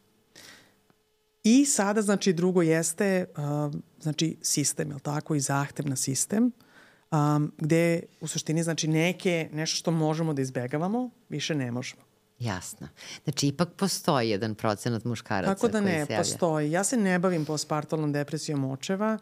Speaker 1: I sada, znači, drugo jeste, uh, znači, sistem, je li tako, i zahtev na sistem, um, gde u suštini, znači, neke, nešto što možemo da izbegavamo, više ne možemo.
Speaker 2: Jasno. Znači, ipak postoji jedan procenat muškaraca
Speaker 1: koji se javlja. Tako da ne, postoji. Ja se ne bavim postpartalnom depresijom očeva,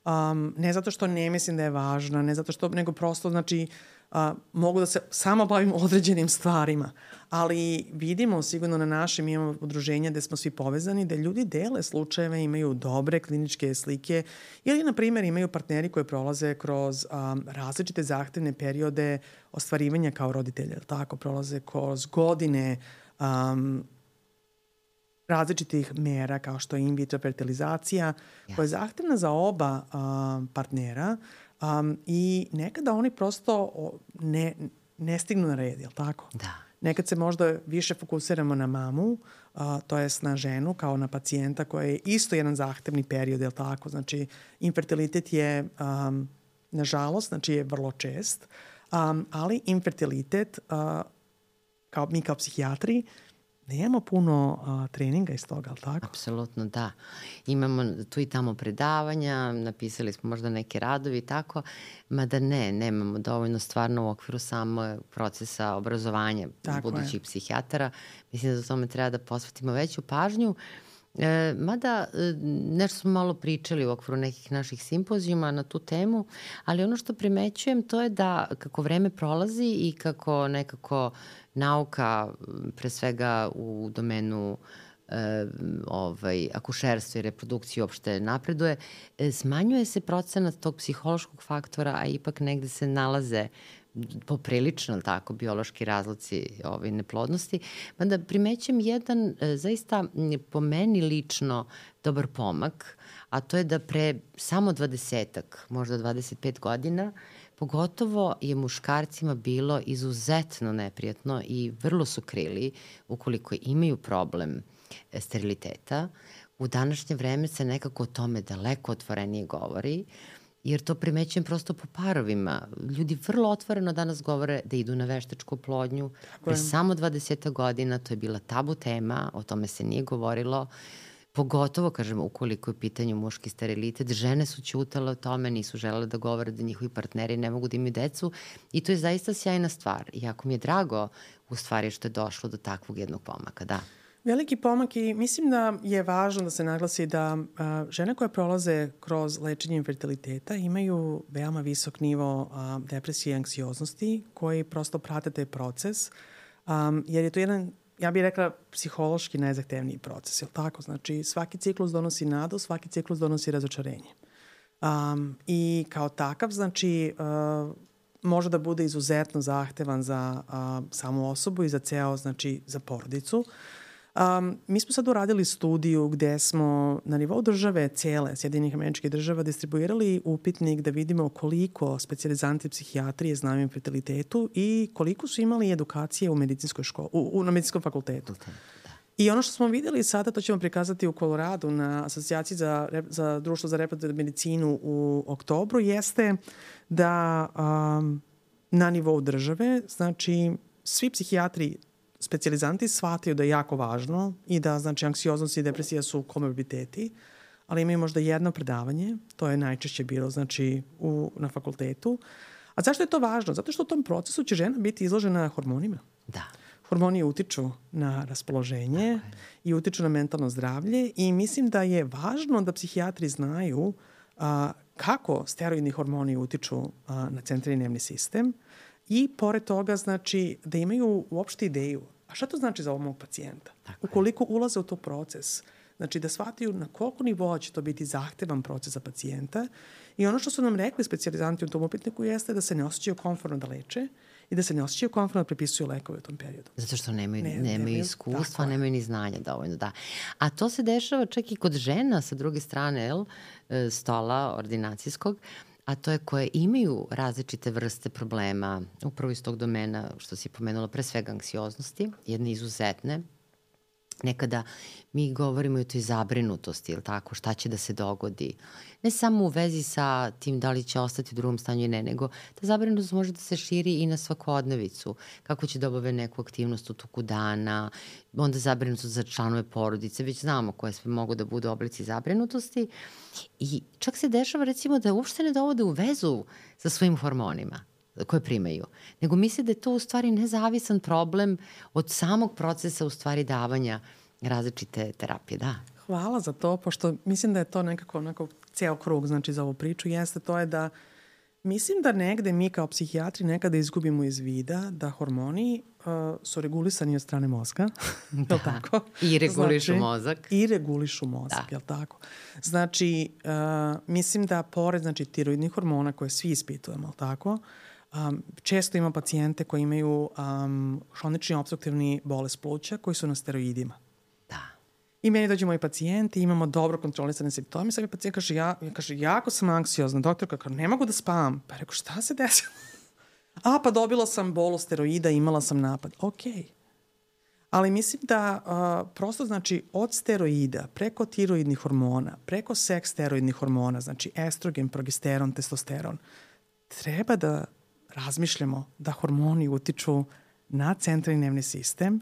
Speaker 1: um, ne zato što ne mislim da je važna, ne zato što, nego prosto, znači, uh, mogu da se samo bavim određenim stvarima, ali vidimo sigurno na našem, imamo udruženja gde smo svi povezani, da ljudi dele slučajeve, imaju dobre kliničke slike ili, na primjer, imaju partneri koji prolaze kroz um, različite zahtevne periode ostvarivanja kao roditelja, tako, prolaze kroz godine um, različitih mera kao što je in vitro fertilizacija, yes. koja je zahtevna za oba um, partnera um, i nekada oni prosto ne, ne stignu na red, je li tako?
Speaker 2: Da.
Speaker 1: Nekad se možda više fokusiramo na mamu, uh, to jest na ženu kao na pacijenta koja je isto jedan zahtevni period, je li tako? Znači, infertilitet je, um, nažalost, znači je vrlo čest, um, ali infertilitet, uh, kao mi kao psihijatri, nemamo puno uh, treninga iz toga, ali tako?
Speaker 2: Apsolutno, da. Imamo tu i tamo predavanja, napisali smo možda neke radovi i tako, mada ne, nemamo dovoljno stvarno u okviru samo procesa obrazovanja tako budućih je. Psihijatara. Mislim da za tome treba da posvetimo veću pažnju. E, mada nešto smo malo pričali u okviru nekih naših simpozijuma na tu temu, ali ono što primećujem to je da kako vreme prolazi i kako nekako nauka, pre svega u domenu e, ovaj, akušerstva i reprodukcije uopšte napreduje, e, smanjuje se procenat tog psihološkog faktora, a ipak negde se nalaze poprilično tako biološki razloci ovaj, neplodnosti. Mada primećem jedan e, zaista po meni lično dobar pomak, a to je da pre samo dvadesetak, možda dvadeset pet godina, pogotovo je muškarcima bilo izuzetno neprijatno i vrlo su krili ukoliko imaju problem steriliteta. U današnje vreme se nekako o tome daleko otvorenije govori, jer to primećujem prosto po parovima. Ljudi vrlo otvoreno danas govore da idu na veštačku oplodnju. Pre samo dvadeset godina to je bila tabu tema, o tome se nije govorilo. Pogotovo, kažemo, ukoliko je u pitanju muški sterilitet, žene su ćutale o tome, nisu želele da govore da njihovi partneri ne mogu da imaju decu i to je zaista sjajna stvar. I jako mi je drago u stvari što je došlo do takvog jednog pomaka, da.
Speaker 1: Veliki pomak i mislim da je važno da se naglasi da a, žene koje prolaze kroz lečenje infertiliteta imaju veoma visok nivo a, depresije i anksioznosti koji prosto prate taj proces, a, jer je to jedan, ja bih rekla, psihološki najzahtevniji proces, je li tako? Znači, svaki ciklus donosi nadu, svaki ciklus donosi razočarenje. Um, I kao takav, znači, uh, može da bude izuzetno zahtevan za uh, samu osobu i za ceo, znači, za porodicu. Um, mi smo sad uradili studiju gde smo na nivou države cele, Sjedinjenih Američkih Država, distribuirali upitnik da vidimo koliko specijalizanti psihijatrije znaju o infertilitetu i koliko su imali edukacije u medicinskoj školi, u, u, na medicinskom fakultetu. Okay. I ono što smo videli sada, to ćemo prikazati u Koloradu na asocijaciji za, za društvo za reproduktivnu medicinu u oktobru, jeste da um, na nivou države, znači svi psihijatri specijalizanti shvataju da je jako važno i da, znači, anksioznost i depresija su komorbiditeti, ali imaju možda jedno predavanje, to je najčešće bilo, znači, u, na fakultetu. A zašto je to važno? Zato što u tom procesu će žena biti izložena hormonima.
Speaker 2: Da.
Speaker 1: Hormoni utiču na raspoloženje i utiču na mentalno zdravlje i mislim da je važno da psihijatri znaju a, kako steroidni hormoni utiču a, na centralni nervni sistem i pored toga, znači, da imaju uopšte ideju. A šta to znači za ovog mog pacijenta? Tako Ukoliko je. ulaze u to proces, znači da shvataju na koliko nivoa će to biti zahtevan proces za pacijenta i ono što su nam rekli specijalizanti u tom upitniku jeste da se ne osjećaju komfortno da leče i da se ne osjećaju komfortno da prepisuju lekove u tom periodu.
Speaker 2: Zato što nemaju, ne, nemaju, nemaju iskustva, nemaju ni znanja dovoljno, da. A to se dešava čak i kod žena sa druge strane, jel, stola ordinacijskog, a to je koje imaju različite vrste problema, upravo iz tog domena što si pomenula, pre svega anksioznosti, jedne izuzetne. Nekada mi govorimo i o toj zabrinutosti, ili tako, šta će da se dogodi. Ne samo u vezi sa tim da li će ostati u drugom stanju i ne, nego ta zabrinutost može da se širi i na svakodnevicu. Kako će da obave neku aktivnost u toku dana, onda zabrinutost za članove porodice, već znamo koje sve mogu da budu oblici zabrinutosti. I čak se dešava, recimo, da uopšte ne dovode u vezu sa svojim hormonima koje primaju, nego misle da je to u stvari nezavisan problem od samog procesa u stvari davanja različite terapije, da.
Speaker 1: Hvala za to, pošto mislim da je to nekako onako ceo krug, znači, za ovu priču, jeste to je da mislim da negde mi kao psihijatri nekada izgubimo iz vida da hormoni uh, su regulisani od strane mozga,
Speaker 2: da,
Speaker 1: je li tako?
Speaker 2: I regulišu
Speaker 1: znači,
Speaker 2: mozak.
Speaker 1: I regulišu mozak, da. Je li tako? Znači, uh, mislim da pored, znači, tiroidnih hormona koje svi ispitujemo, je li tako? Um, često ima pacijente koji imaju um, hronični obstruktivni bolest pluća koji su na steroidima.
Speaker 2: Da.
Speaker 1: I meni dođu moji pacijenti, imamo dobro kontrolisane simptome, sad mi pacijent kaže, ja, kaže, jako sam anksiozna, doktorka, kao, ne mogu da spavam. Pa rekao, šta se desilo? A, pa dobila sam bolu steroida, imala sam napad. Okej. Okay. Ali mislim da uh, prosto, znači, od steroida, preko tiroidnih hormona, preko seks steroidnih hormona, znači estrogen, progesteron, testosteron, treba da razmišljamo da hormoni utiču na centralni nervni sistem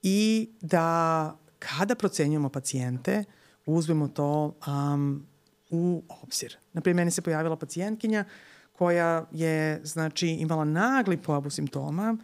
Speaker 1: i da kada procenjujemo pacijente, uzmemo to um, u obzir. Naprimjer, meni se pojavila pacijentkinja koja je, znači, imala nagli pojavu simptoma.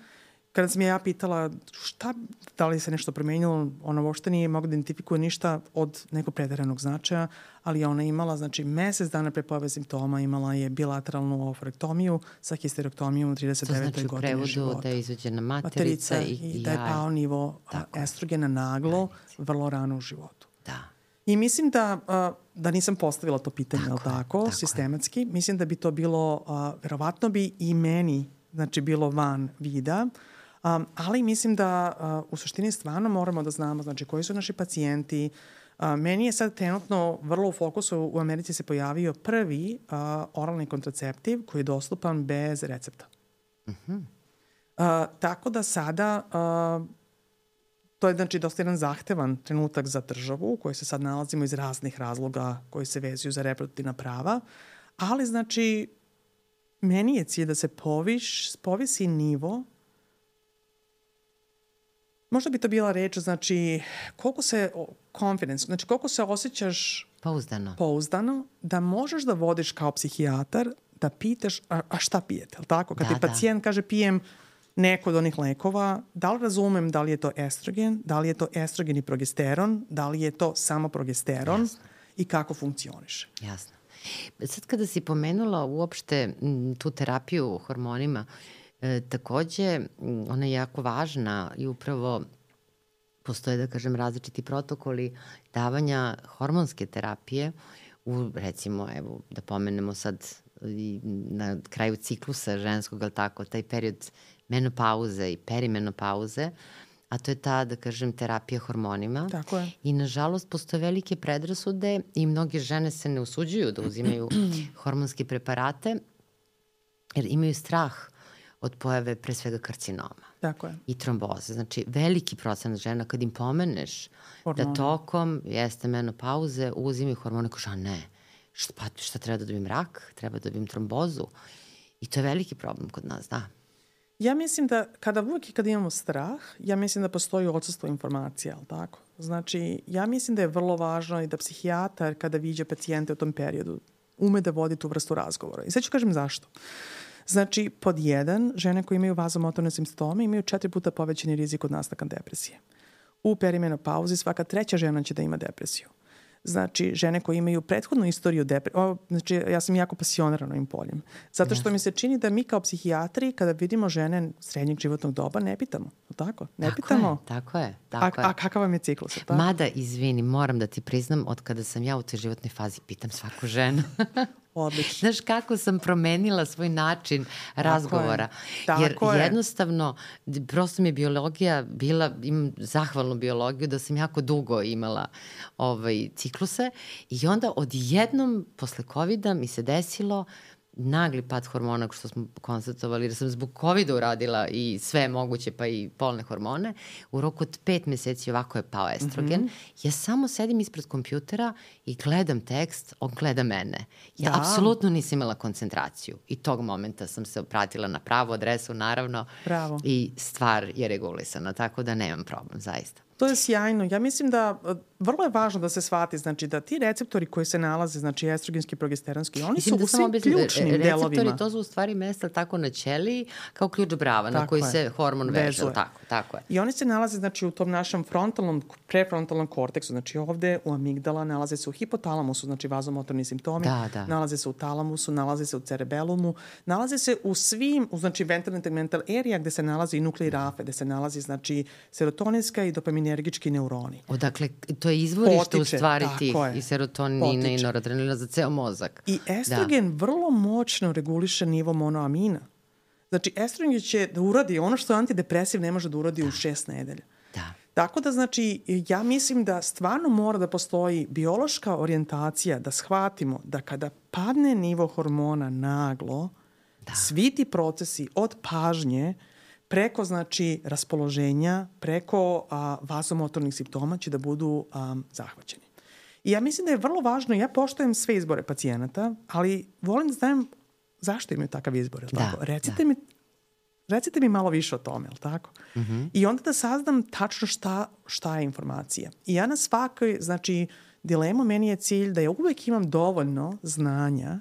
Speaker 1: Kada sam je ja pitala šta, da li se nešto promenilo, ona uopšte nije mogla da identifikuje ništa od nekog preteranog značaja, ali ona imala, znači, mesec dana pre pojave simptoma imala je bilateralnu oforektomiju sa histerektomijom u trideset devetoj godini života.
Speaker 2: To znači u prevodu da je izvađena materica, materica i,
Speaker 1: i da je pao nivo tako estrogena naglo, vrlo rano u životu.
Speaker 2: Da.
Speaker 1: I mislim da, da nisam postavila to pitanje, tako, tako, tako sistematski, mislim da bi to bilo, verovatno bi i meni, znači, bilo van vida, Um, ali mislim da uh, u suštini stvarno moramo da znamo, znači, koji su naši pacijenti. Uh, meni je sad trenutno vrlo u fokusu, u Americi se pojavio prvi uh, oralni kontraceptiv koji je dostupan bez recepta.
Speaker 2: Uh-huh.
Speaker 1: Uh, tako da sada uh, to je znači dosta jedan zahtevan trenutak za državu u kojoj se sad nalazimo iz raznih razloga koji se vezuju za reproduktivna prava, ali znači meni je cilj da se poviš, povisi nivo. Možda bi to bila reč, znači, koliko se, confidence, znači koliko se osjećaš
Speaker 2: pouzdano,
Speaker 1: pouzdano da možeš da vodiš kao psihijatar, da pitaš, a, a šta pijete, ali tako? Kad
Speaker 2: da,
Speaker 1: ti pacijent
Speaker 2: da.
Speaker 1: kaže pijem neko od onih lekova, da li razumem da li je to estrogen, da li je to estrogen i progesteron, da li je to samo progesteron. Jasno. I kako funkcioniše.
Speaker 2: Jasno. Sad kada si pomenula uopšte m, tu terapiju hormonima, E, takođe, ona je jako važna i upravo postoje, da kažem, različiti protokoli davanja hormonske terapije u, recimo, evo, da pomenemo sad i na kraju ciklusa ženskog, ali tako, taj period menopauze i perimenopauze, a to je ta, da kažem, terapija hormonima.
Speaker 1: Tako je.
Speaker 2: I, nažalost, postoje velike predrasude i mnoge žene se ne usuđuju da uzimaju hormonske preparate, jer imaju strah od pojave pre svega karcinoma.
Speaker 1: Tako je.
Speaker 2: I tromboze. Znači, veliki procenat žena kad im pomeneš hormone, da tokom jeste menopauze uzimaju hormone, kaže, a ne, šta, pa, šta treba da dobijem rak? Treba da dobijem trombozu? I to je veliki problem kod nas, da.
Speaker 1: Ja mislim da kada uvijek i kad imamo strah, ja mislim da postoji odsustvo informacija, ali tako? Znači, ja mislim da je vrlo važno i da psihijatar kada viđe pacijente u tom periodu ume da vodi tu vrstu razgovora. I sad ću kažem zašto. Znači, pod jedan, žene koje imaju vazomotorne simptome imaju četiri puta povećani rizik od nastanka depresije. U perimenopauzi svaka treća žena će da ima depresiju. Znači, žene koje imaju prethodnu istoriju depresije, znači, ja sam jako pasionirana ovim poljem. Zato što mi se čini da mi kao psihijatri, kada vidimo žene srednjeg životnog doba, ne pitamo. Tako? Ne
Speaker 2: tako
Speaker 1: pitamo.
Speaker 2: Je, tako je. Tako
Speaker 1: a,
Speaker 2: je.
Speaker 1: a kakav vam je ciklus? Tako?
Speaker 2: Mada, izvini, moram da ti priznam, od kada sam ja u toj životnoj fazi, pitam svaku ženu.
Speaker 1: Odlično.
Speaker 2: Znaš kako sam promenila svoj način
Speaker 1: tako
Speaker 2: razgovora.
Speaker 1: Je. Tako
Speaker 2: Jer
Speaker 1: je.
Speaker 2: jednostavno, prosto mi je biologija bila, imam zahvalnu biologiju da sam jako dugo imala ovaj, cikluse i onda odjednom posle kovida mi se desilo nagli pad hormona, što smo konstatovali, jer sam zbog kovida uradila i sve moguće, pa i polne hormone. U roku od pet meseci ovako je pao estrogen. Mm-hmm. Ja samo sedim ispred kompjutera i gledam tekst, on gleda mene. Ja da. apsolutno nisam imala koncentraciju. I tog momenta sam se opratila na pravu adresu, naravno.
Speaker 1: Bravo.
Speaker 2: I stvar je regulisana, tako da nemam problem, zaista.
Speaker 1: To je sjajno. Ja mislim da vrlo je važno da se shvati, znači da ti receptori koji se nalaze, znači estrogenski, progesteronski, oni mislim su da u svim objasnim, ključnim
Speaker 2: receptori,
Speaker 1: delovima.
Speaker 2: Receptori, to su u stvari mesta tako na ćeliji kao ključ brava tako na koji je. se hormon veže. Tako, tako je.
Speaker 1: I oni se nalaze znači u tom našem frontalnom, prefrontalnom korteksu, znači ovde u amigdala, nalaze se u hipotalamusu, znači vazomotorni simptomi,
Speaker 2: da, da.
Speaker 1: nalaze se u talamusu, nalaze se u cerebelumu, nalaze se u svim, u, znači ventralni tegmental area gde se nalazi i nuklei rafe, gde se nalazi znači serotoninska i dopaminergički neuroni.
Speaker 2: Odakle, to je izvorište
Speaker 1: Potiče,
Speaker 2: u stvari tih
Speaker 1: je.
Speaker 2: i serotonina Potiče. i noradrenalina za ceo mozak.
Speaker 1: I estrogen da. vrlo moćno reguliše nivo monoamina. Znači, estrogen će da uradi ono što antidepresiv ne može da uradi da. u šest nedelja.
Speaker 2: Da.
Speaker 1: Tako da, znači, ja mislim da stvarno mora da postoji biološka orijentacija da shvatimo da kada padne nivo hormona naglo, da. svi ti procesi od pažnje preko, znači, raspoloženja, preko a, vazomotornih simptoma će da budu a, zahvaćeni. I ja mislim da je vrlo važno, ja poštujem sve izbore pacijenata, ali volim da znam zašto imaju takav izbor, je li tako?
Speaker 2: Da,
Speaker 1: recite,
Speaker 2: da.
Speaker 1: mi, recite mi malo više o tome, je li tako?
Speaker 2: Mm-hmm.
Speaker 1: I onda da saznam tačno šta, šta je informacija. I ja na svakoj, znači, dilemu meni je cilj da ja uvek imam dovoljno znanja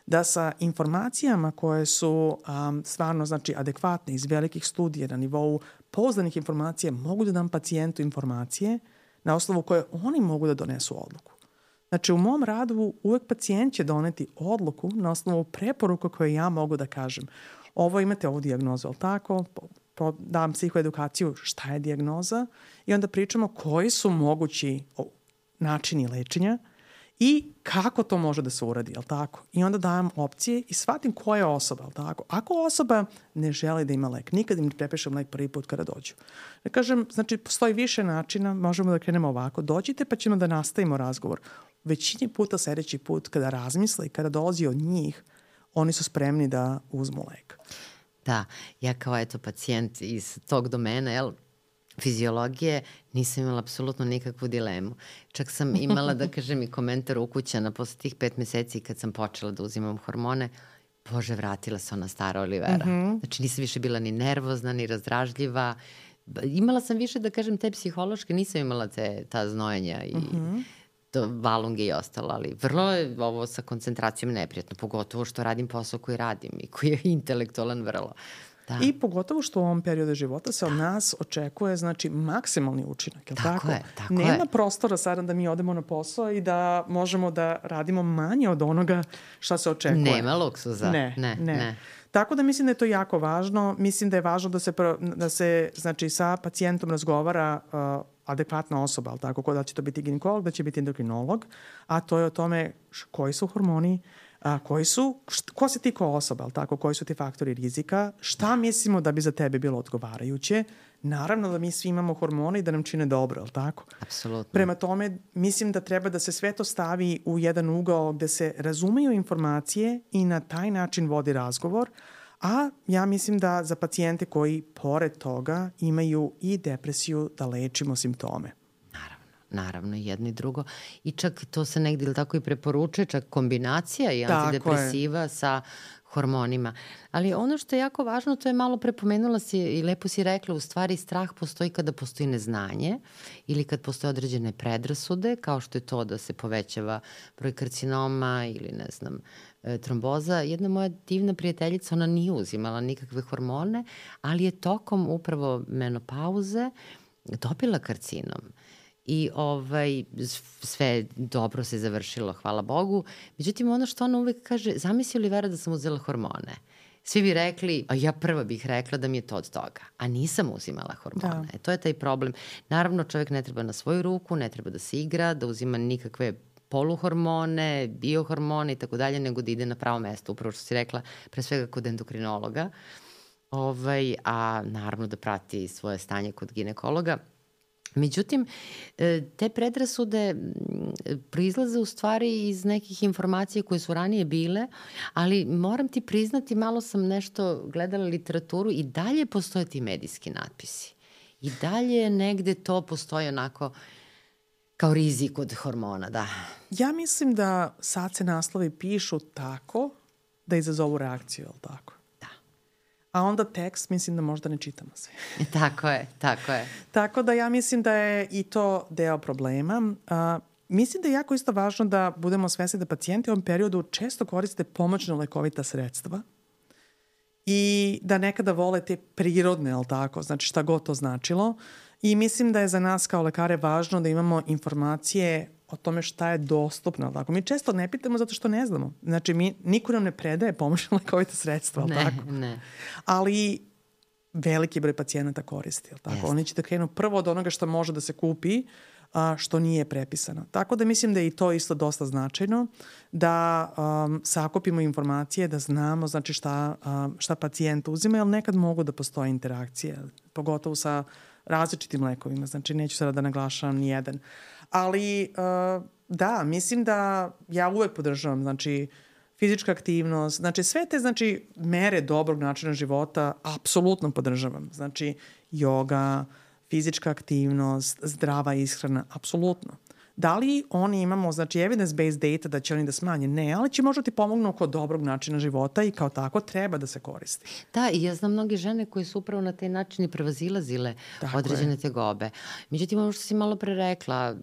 Speaker 1: da sa informacijama koje su um, stvarno znači, adekvatne iz velikih studija na nivou pouzdanih informacija mogu da dam pacijentu informacije na osnovu koje oni mogu da donesu odluku. Znači, u mom radu uvek pacijent će doneti odluku na osnovu preporuka koje ja mogu da kažem. Ovo imate ovu dijagnozu, ali tako? Po, dam psihoedukaciju šta je dijagnoza i onda pričamo koji su mogući načini lečenja i kako to može da se uradi, jel tako? I onda dajem opcije i shvatim koja je osoba, jel tako? Ako osoba ne želi da ima lek, nikad im ne prepišem lek prvi put kada dođu. Da kažem, znači, postoji više načina, možemo da krenemo ovako. Dođite pa ćemo da nastavimo razgovor. Većini puta sledeći put kada razmisle i kada dolazi od njih, oni su spremni da uzmu lek.
Speaker 2: Da, ja kao eto pacijent iz tog domena, jel, fiziologije, nisam imala apsolutno nikakvu dilemu. Čak sam imala, da kažem, i komentar ukućana posle tih pet meseci kad sam počela da uzimam hormone. Bože, vratila se ona stara Olivera. Mm -hmm. Znači, nisam više bila ni nervozna, ni razdražljiva. Imala sam više, da kažem, te psihološke, nisam imala te, ta znojenja i mm -hmm. to valunge i ostalo, ali vrlo je ovo sa koncentracijom neprijatno, pogotovo što radim posao koji radim i koji je intelektualan vrlo. Da.
Speaker 1: I pogotovo što u ovom periodu života se od nas očekuje, znači, maksimalni učinak, je li tako?
Speaker 2: Tako je, tako
Speaker 1: Nema
Speaker 2: je.
Speaker 1: prostora sada da mi odemo na posao i da možemo da radimo manje od onoga šta se očekuje.
Speaker 2: Nema luksuza.
Speaker 1: Ne,
Speaker 2: ne,
Speaker 1: ne.
Speaker 2: ne.
Speaker 1: Tako da mislim da je to jako važno. Mislim da je važno da se, da se znači, sa pacijentom razgovara uh, adekvatna osoba, ali tako, da će to biti ginekolog, da će biti endokrinolog, a to je o tome koji su hormoni, a, koji su, št, ko si ti kao osoba, ali tako, koji su ti faktori rizika, šta mislimo da bi za tebe bilo odgovarajuće. Naravno da mi svi imamo hormone i da nam čine dobro, ali tako?
Speaker 2: Apsolutno.
Speaker 1: Prema tome, mislim da treba da se sve to stavi u jedan ugao gde se razumeju informacije i na taj način vodi razgovor, a ja mislim da za pacijente koji pored toga imaju i depresiju da lečimo simptome.
Speaker 2: Naravno, naravno, jedno i drugo. I čak to se negdje ili tako i preporučuje, čak kombinacija i antidepresiva sa hormonima. Ali ono što je jako važno, to je malo prepomenula si i lepo si rekla, u stvari strah postoji kada postoji neznanje ili kad postoje određene predrasude, kao što je to da se povećava broj karcinoma ili ne znam, tromboza. Jedna moja divna prijateljica, ona nije uzimala nikakve hormone, ali je tokom upravo menopauze dobila karcinom. I ovaj, sve dobro se završilo, hvala Bogu. Međutim, ono što ona uvek kaže, zamisli Olivera da sam uzela hormone. Svi bi rekli, a ja prva bih rekla da mi je to od toga. A nisam uzimala hormone. Da. E, to je taj problem. Naravno, čovjek ne treba na svoju ruku, ne treba da se igra, da uzima nikakve poluhormone, biohormone i tako dalje, nego da ide na pravo mesto, upravo što si rekla, pre svega kod endokrinologa, ovaj, a naravno da prati svoje stanje kod ginekologa. Međutim, te predrasude proizlaze u stvari iz nekih informacija koje su ranije bile, ali moram ti priznati, malo sam nešto gledala literaturu i dalje postoje ti medijski natpisi. I dalje negde to postoji onako kao rizik od hormona, da.
Speaker 1: Ja mislim da sad se naslovi pišu tako da izazovu reakciju, je li tako?
Speaker 2: Da.
Speaker 1: A onda tekst, mislim da možda ne čitamo sve.
Speaker 2: Tako je, tako je.
Speaker 1: Tako da ja mislim da je i to deo problema. A, mislim da je jako isto važno da budemo svesni da pacijenti u ovom periodu često koriste pomoćno lekovita sredstva i da nekada vole te prirodne, je li tako? Znači šta god to značilo. I mislim da je za nas kao lekare važno da imamo informacije o tome šta je dostupno. Tako? Mi često ne pitamo zato što ne znamo. Znači, mi, niko nam ne predaje pomoćno lekovita sredstva.
Speaker 2: Ne,
Speaker 1: tako?
Speaker 2: ne.
Speaker 1: Ali veliki broj pacijenata koristi. Tako?
Speaker 2: Jeste.
Speaker 1: Oni će da krenu prvo od onoga što može da se kupi, a, što nije prepisano. Tako da mislim da je i to isto dosta značajno, da um, sakupimo informacije, da znamo znači šta, um, šta pacijent uzima, jer nekad mogu da postoje interakcije, pogotovo sa različitim lekovima, znači neću sada da naglašavam ni jedan. Ali uh, da, mislim da ja uvek podržavam, znači fizička aktivnost, znači sve te znači mere dobrog načina života apsolutno podržavam. Znači joga, fizička aktivnost, zdrava ishrana, apsolutno. Da li oni imamo, znači, evidence-based data da će oni da smanje? Ne, ali će možda ti pomognu oko dobrog načina života i kao tako treba da se koristi.
Speaker 2: Da, i ja znam mnoge žene koje su upravo na taj način i prevazilazile tako određene je. tegobe. Međutim, ono što si malo pre rekla,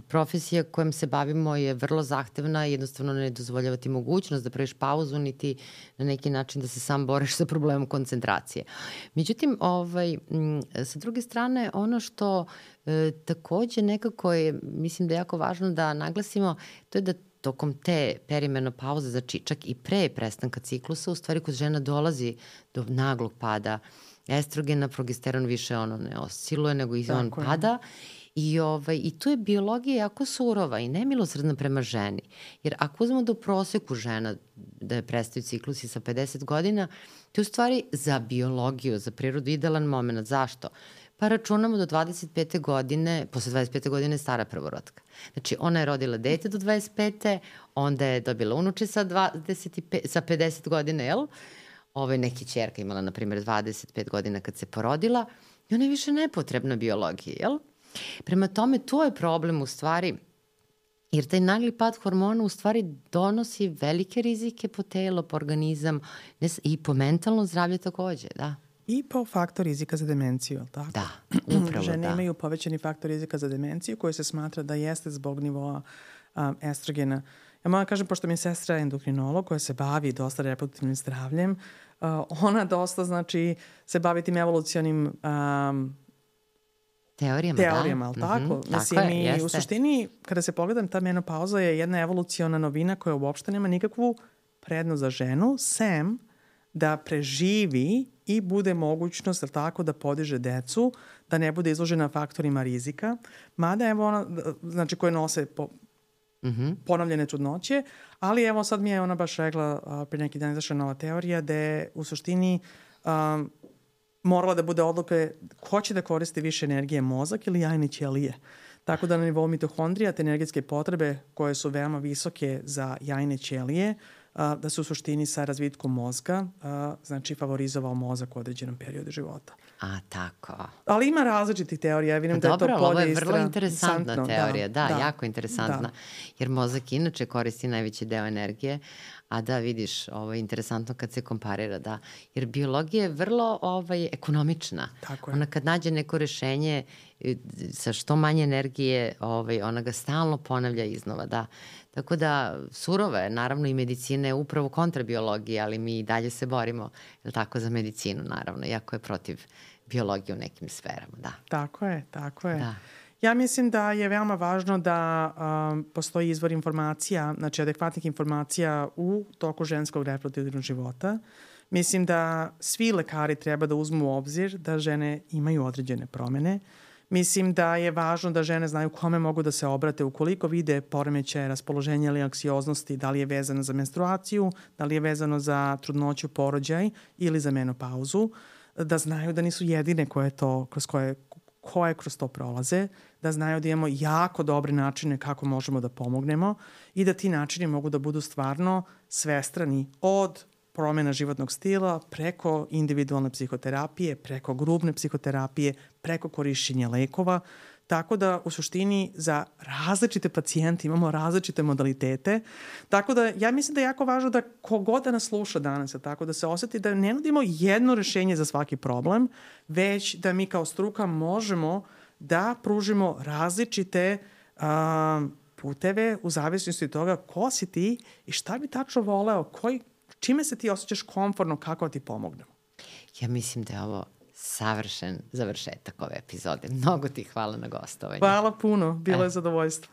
Speaker 2: profesija kojom se bavimo je vrlo zahtevna i jednostavno ne dozvoljava ti mogućnost da praviš pauzu, niti na neki način da se sam boriš sa problemom koncentracije. Međutim, ovaj, sa druge strane, ono što E, takođe nekako je, mislim da je jako važno da naglasimo, to je da tokom te perimenopauze, znači čak i pre prestanka ciklusa, u stvari kod žena dolazi do naglog pada estrogena, progesteron više ono ne osciluje, nego i on pada. I, ovaj, I tu je biologija jako surova i nemilosredna prema ženi. Jer ako uzmemo do proseku žena da je prestaju ciklusi sa pedeset godina, to je u stvari za biologiju, za prirodu idealan moment. Zašto? Pa računamo do dvadeset pete godine, posle dvadeset pete godine je stara prvorotka. Znači, ona je rodila dete do dvadeset pete, onda je dobila unuče sa, dvadeset pet, sa pedeset godina, jel? Ove neki ćerka imala, na primjer, dvadeset pet godina kad se porodila i ona je više nepotrebna biologiji, jel? Prema tome, to je problem u stvari, jer taj nagli pad hormona u stvari donosi velike rizike po telo, po organizam i po mentalno zdravlje takođe, da.
Speaker 1: I po faktor rizika za demenciju, ali tako?
Speaker 2: Da, upravo
Speaker 1: Žene
Speaker 2: da.
Speaker 1: imaju povećani faktor rizika za demenciju koji se smatra da jeste zbog nivoa um, estrogena. Ja moram kažem, pošto mi je sestra endokrinolog koja se bavi dosta reproduktivnim zdravljem, uh, ona dosta, znači, se bavi tim evolucionim um,
Speaker 2: teorijama,
Speaker 1: teorijama, ali
Speaker 2: da?
Speaker 1: tako?
Speaker 2: Mm-hmm,
Speaker 1: Mislim,
Speaker 2: tako je,
Speaker 1: i
Speaker 2: jeste.
Speaker 1: u suštini, kada se pogledam, ta menopauza je jedna evoluciona novina koja uopšte nema nikakvu prednost za ženu, sem da preživi i bude mogućnost, ali tako, da podiže decu, da ne bude izložena faktorima rizika, mada evo ona, znači koje nose po, mm-hmm. ponavljene trudnoće, ali evo sad mi je ona baš rekla, a, pre neki dan izašla nova teorija, da je u suštini um, morala da bude odluka ko će da koristi više energije, mozak ili jajne ćelije. Tako da na nivou mitohondrija te energetske potrebe koje su veoma visoke za jajne ćelije, a, da su u suštini sa razvitkom mozga, a, znači favorizovao mozak u određenom periodu života.
Speaker 2: A, tako.
Speaker 1: Ali ima različitih teorija. Ja vidim da je to
Speaker 2: Dobro,
Speaker 1: polje
Speaker 2: ovo je
Speaker 1: istra...
Speaker 2: vrlo interesantna teorija. Da, da,
Speaker 1: da,
Speaker 2: jako interesantna. Da. Jer mozak inače koristi najveći deo energije, a da, vidiš, ovo je interesantno kad se komparira, da. Jer biologija je vrlo ovaj, ekonomična.
Speaker 1: Tako je.
Speaker 2: Ona kad nađe neko rešenje sa što manje energije, ovaj, ona ga stalno ponavlja iznova, da. Tako da, surova je, naravno, i medicina je upravo kontra biologije, ali mi i dalje se borimo, je tako, za medicinu, naravno, iako je protiv biologije u nekim sferama, da.
Speaker 1: Tako je, tako je.
Speaker 2: Da.
Speaker 1: Ja mislim da je veoma važno da um, postoji izvor informacija, znači adekvatnih informacija u toku ženskog reproduktivnog života. Mislim da svi lekari treba da uzmu u obzir da žene imaju određene promene. Mislim da je važno da žene znaju kome mogu da se obrate ukoliko vide poremećaje raspoloženja ili anksioznosti, da li je vezano za menstruaciju, da li je vezano za trudnoću, porođaj ili za menopauzu, da znaju da nisu jedine koje to, kroz koje, koje kroz to prolaze, da znaju da imamo jako dobre načine kako možemo da pomognemo i da ti načini mogu da budu stvarno svestrani od promjena životnog stila, preko individualne psihoterapije, preko grupne psihoterapije, preko korišćenja lekova. Tako da u suštini za različite pacijente imamo različite modalitete. Tako da ja mislim da je jako važno da kogod da nas sluša danas, tako da se osjeti da ne nudimo jedno rešenje za svaki problem, već da mi kao struka možemo da pružimo različite a, puteve u zavisnosti od toga ko si ti i šta bi tačno voleo, koji čime se ti osjećaš komfortno, kako ti pomognemo?
Speaker 2: Ja mislim da je ovo savršen završetak ove epizode. Mnogo ti hvala na gostovanju.
Speaker 1: Hvala puno, bilo
Speaker 2: e.
Speaker 1: je zadovoljstvo.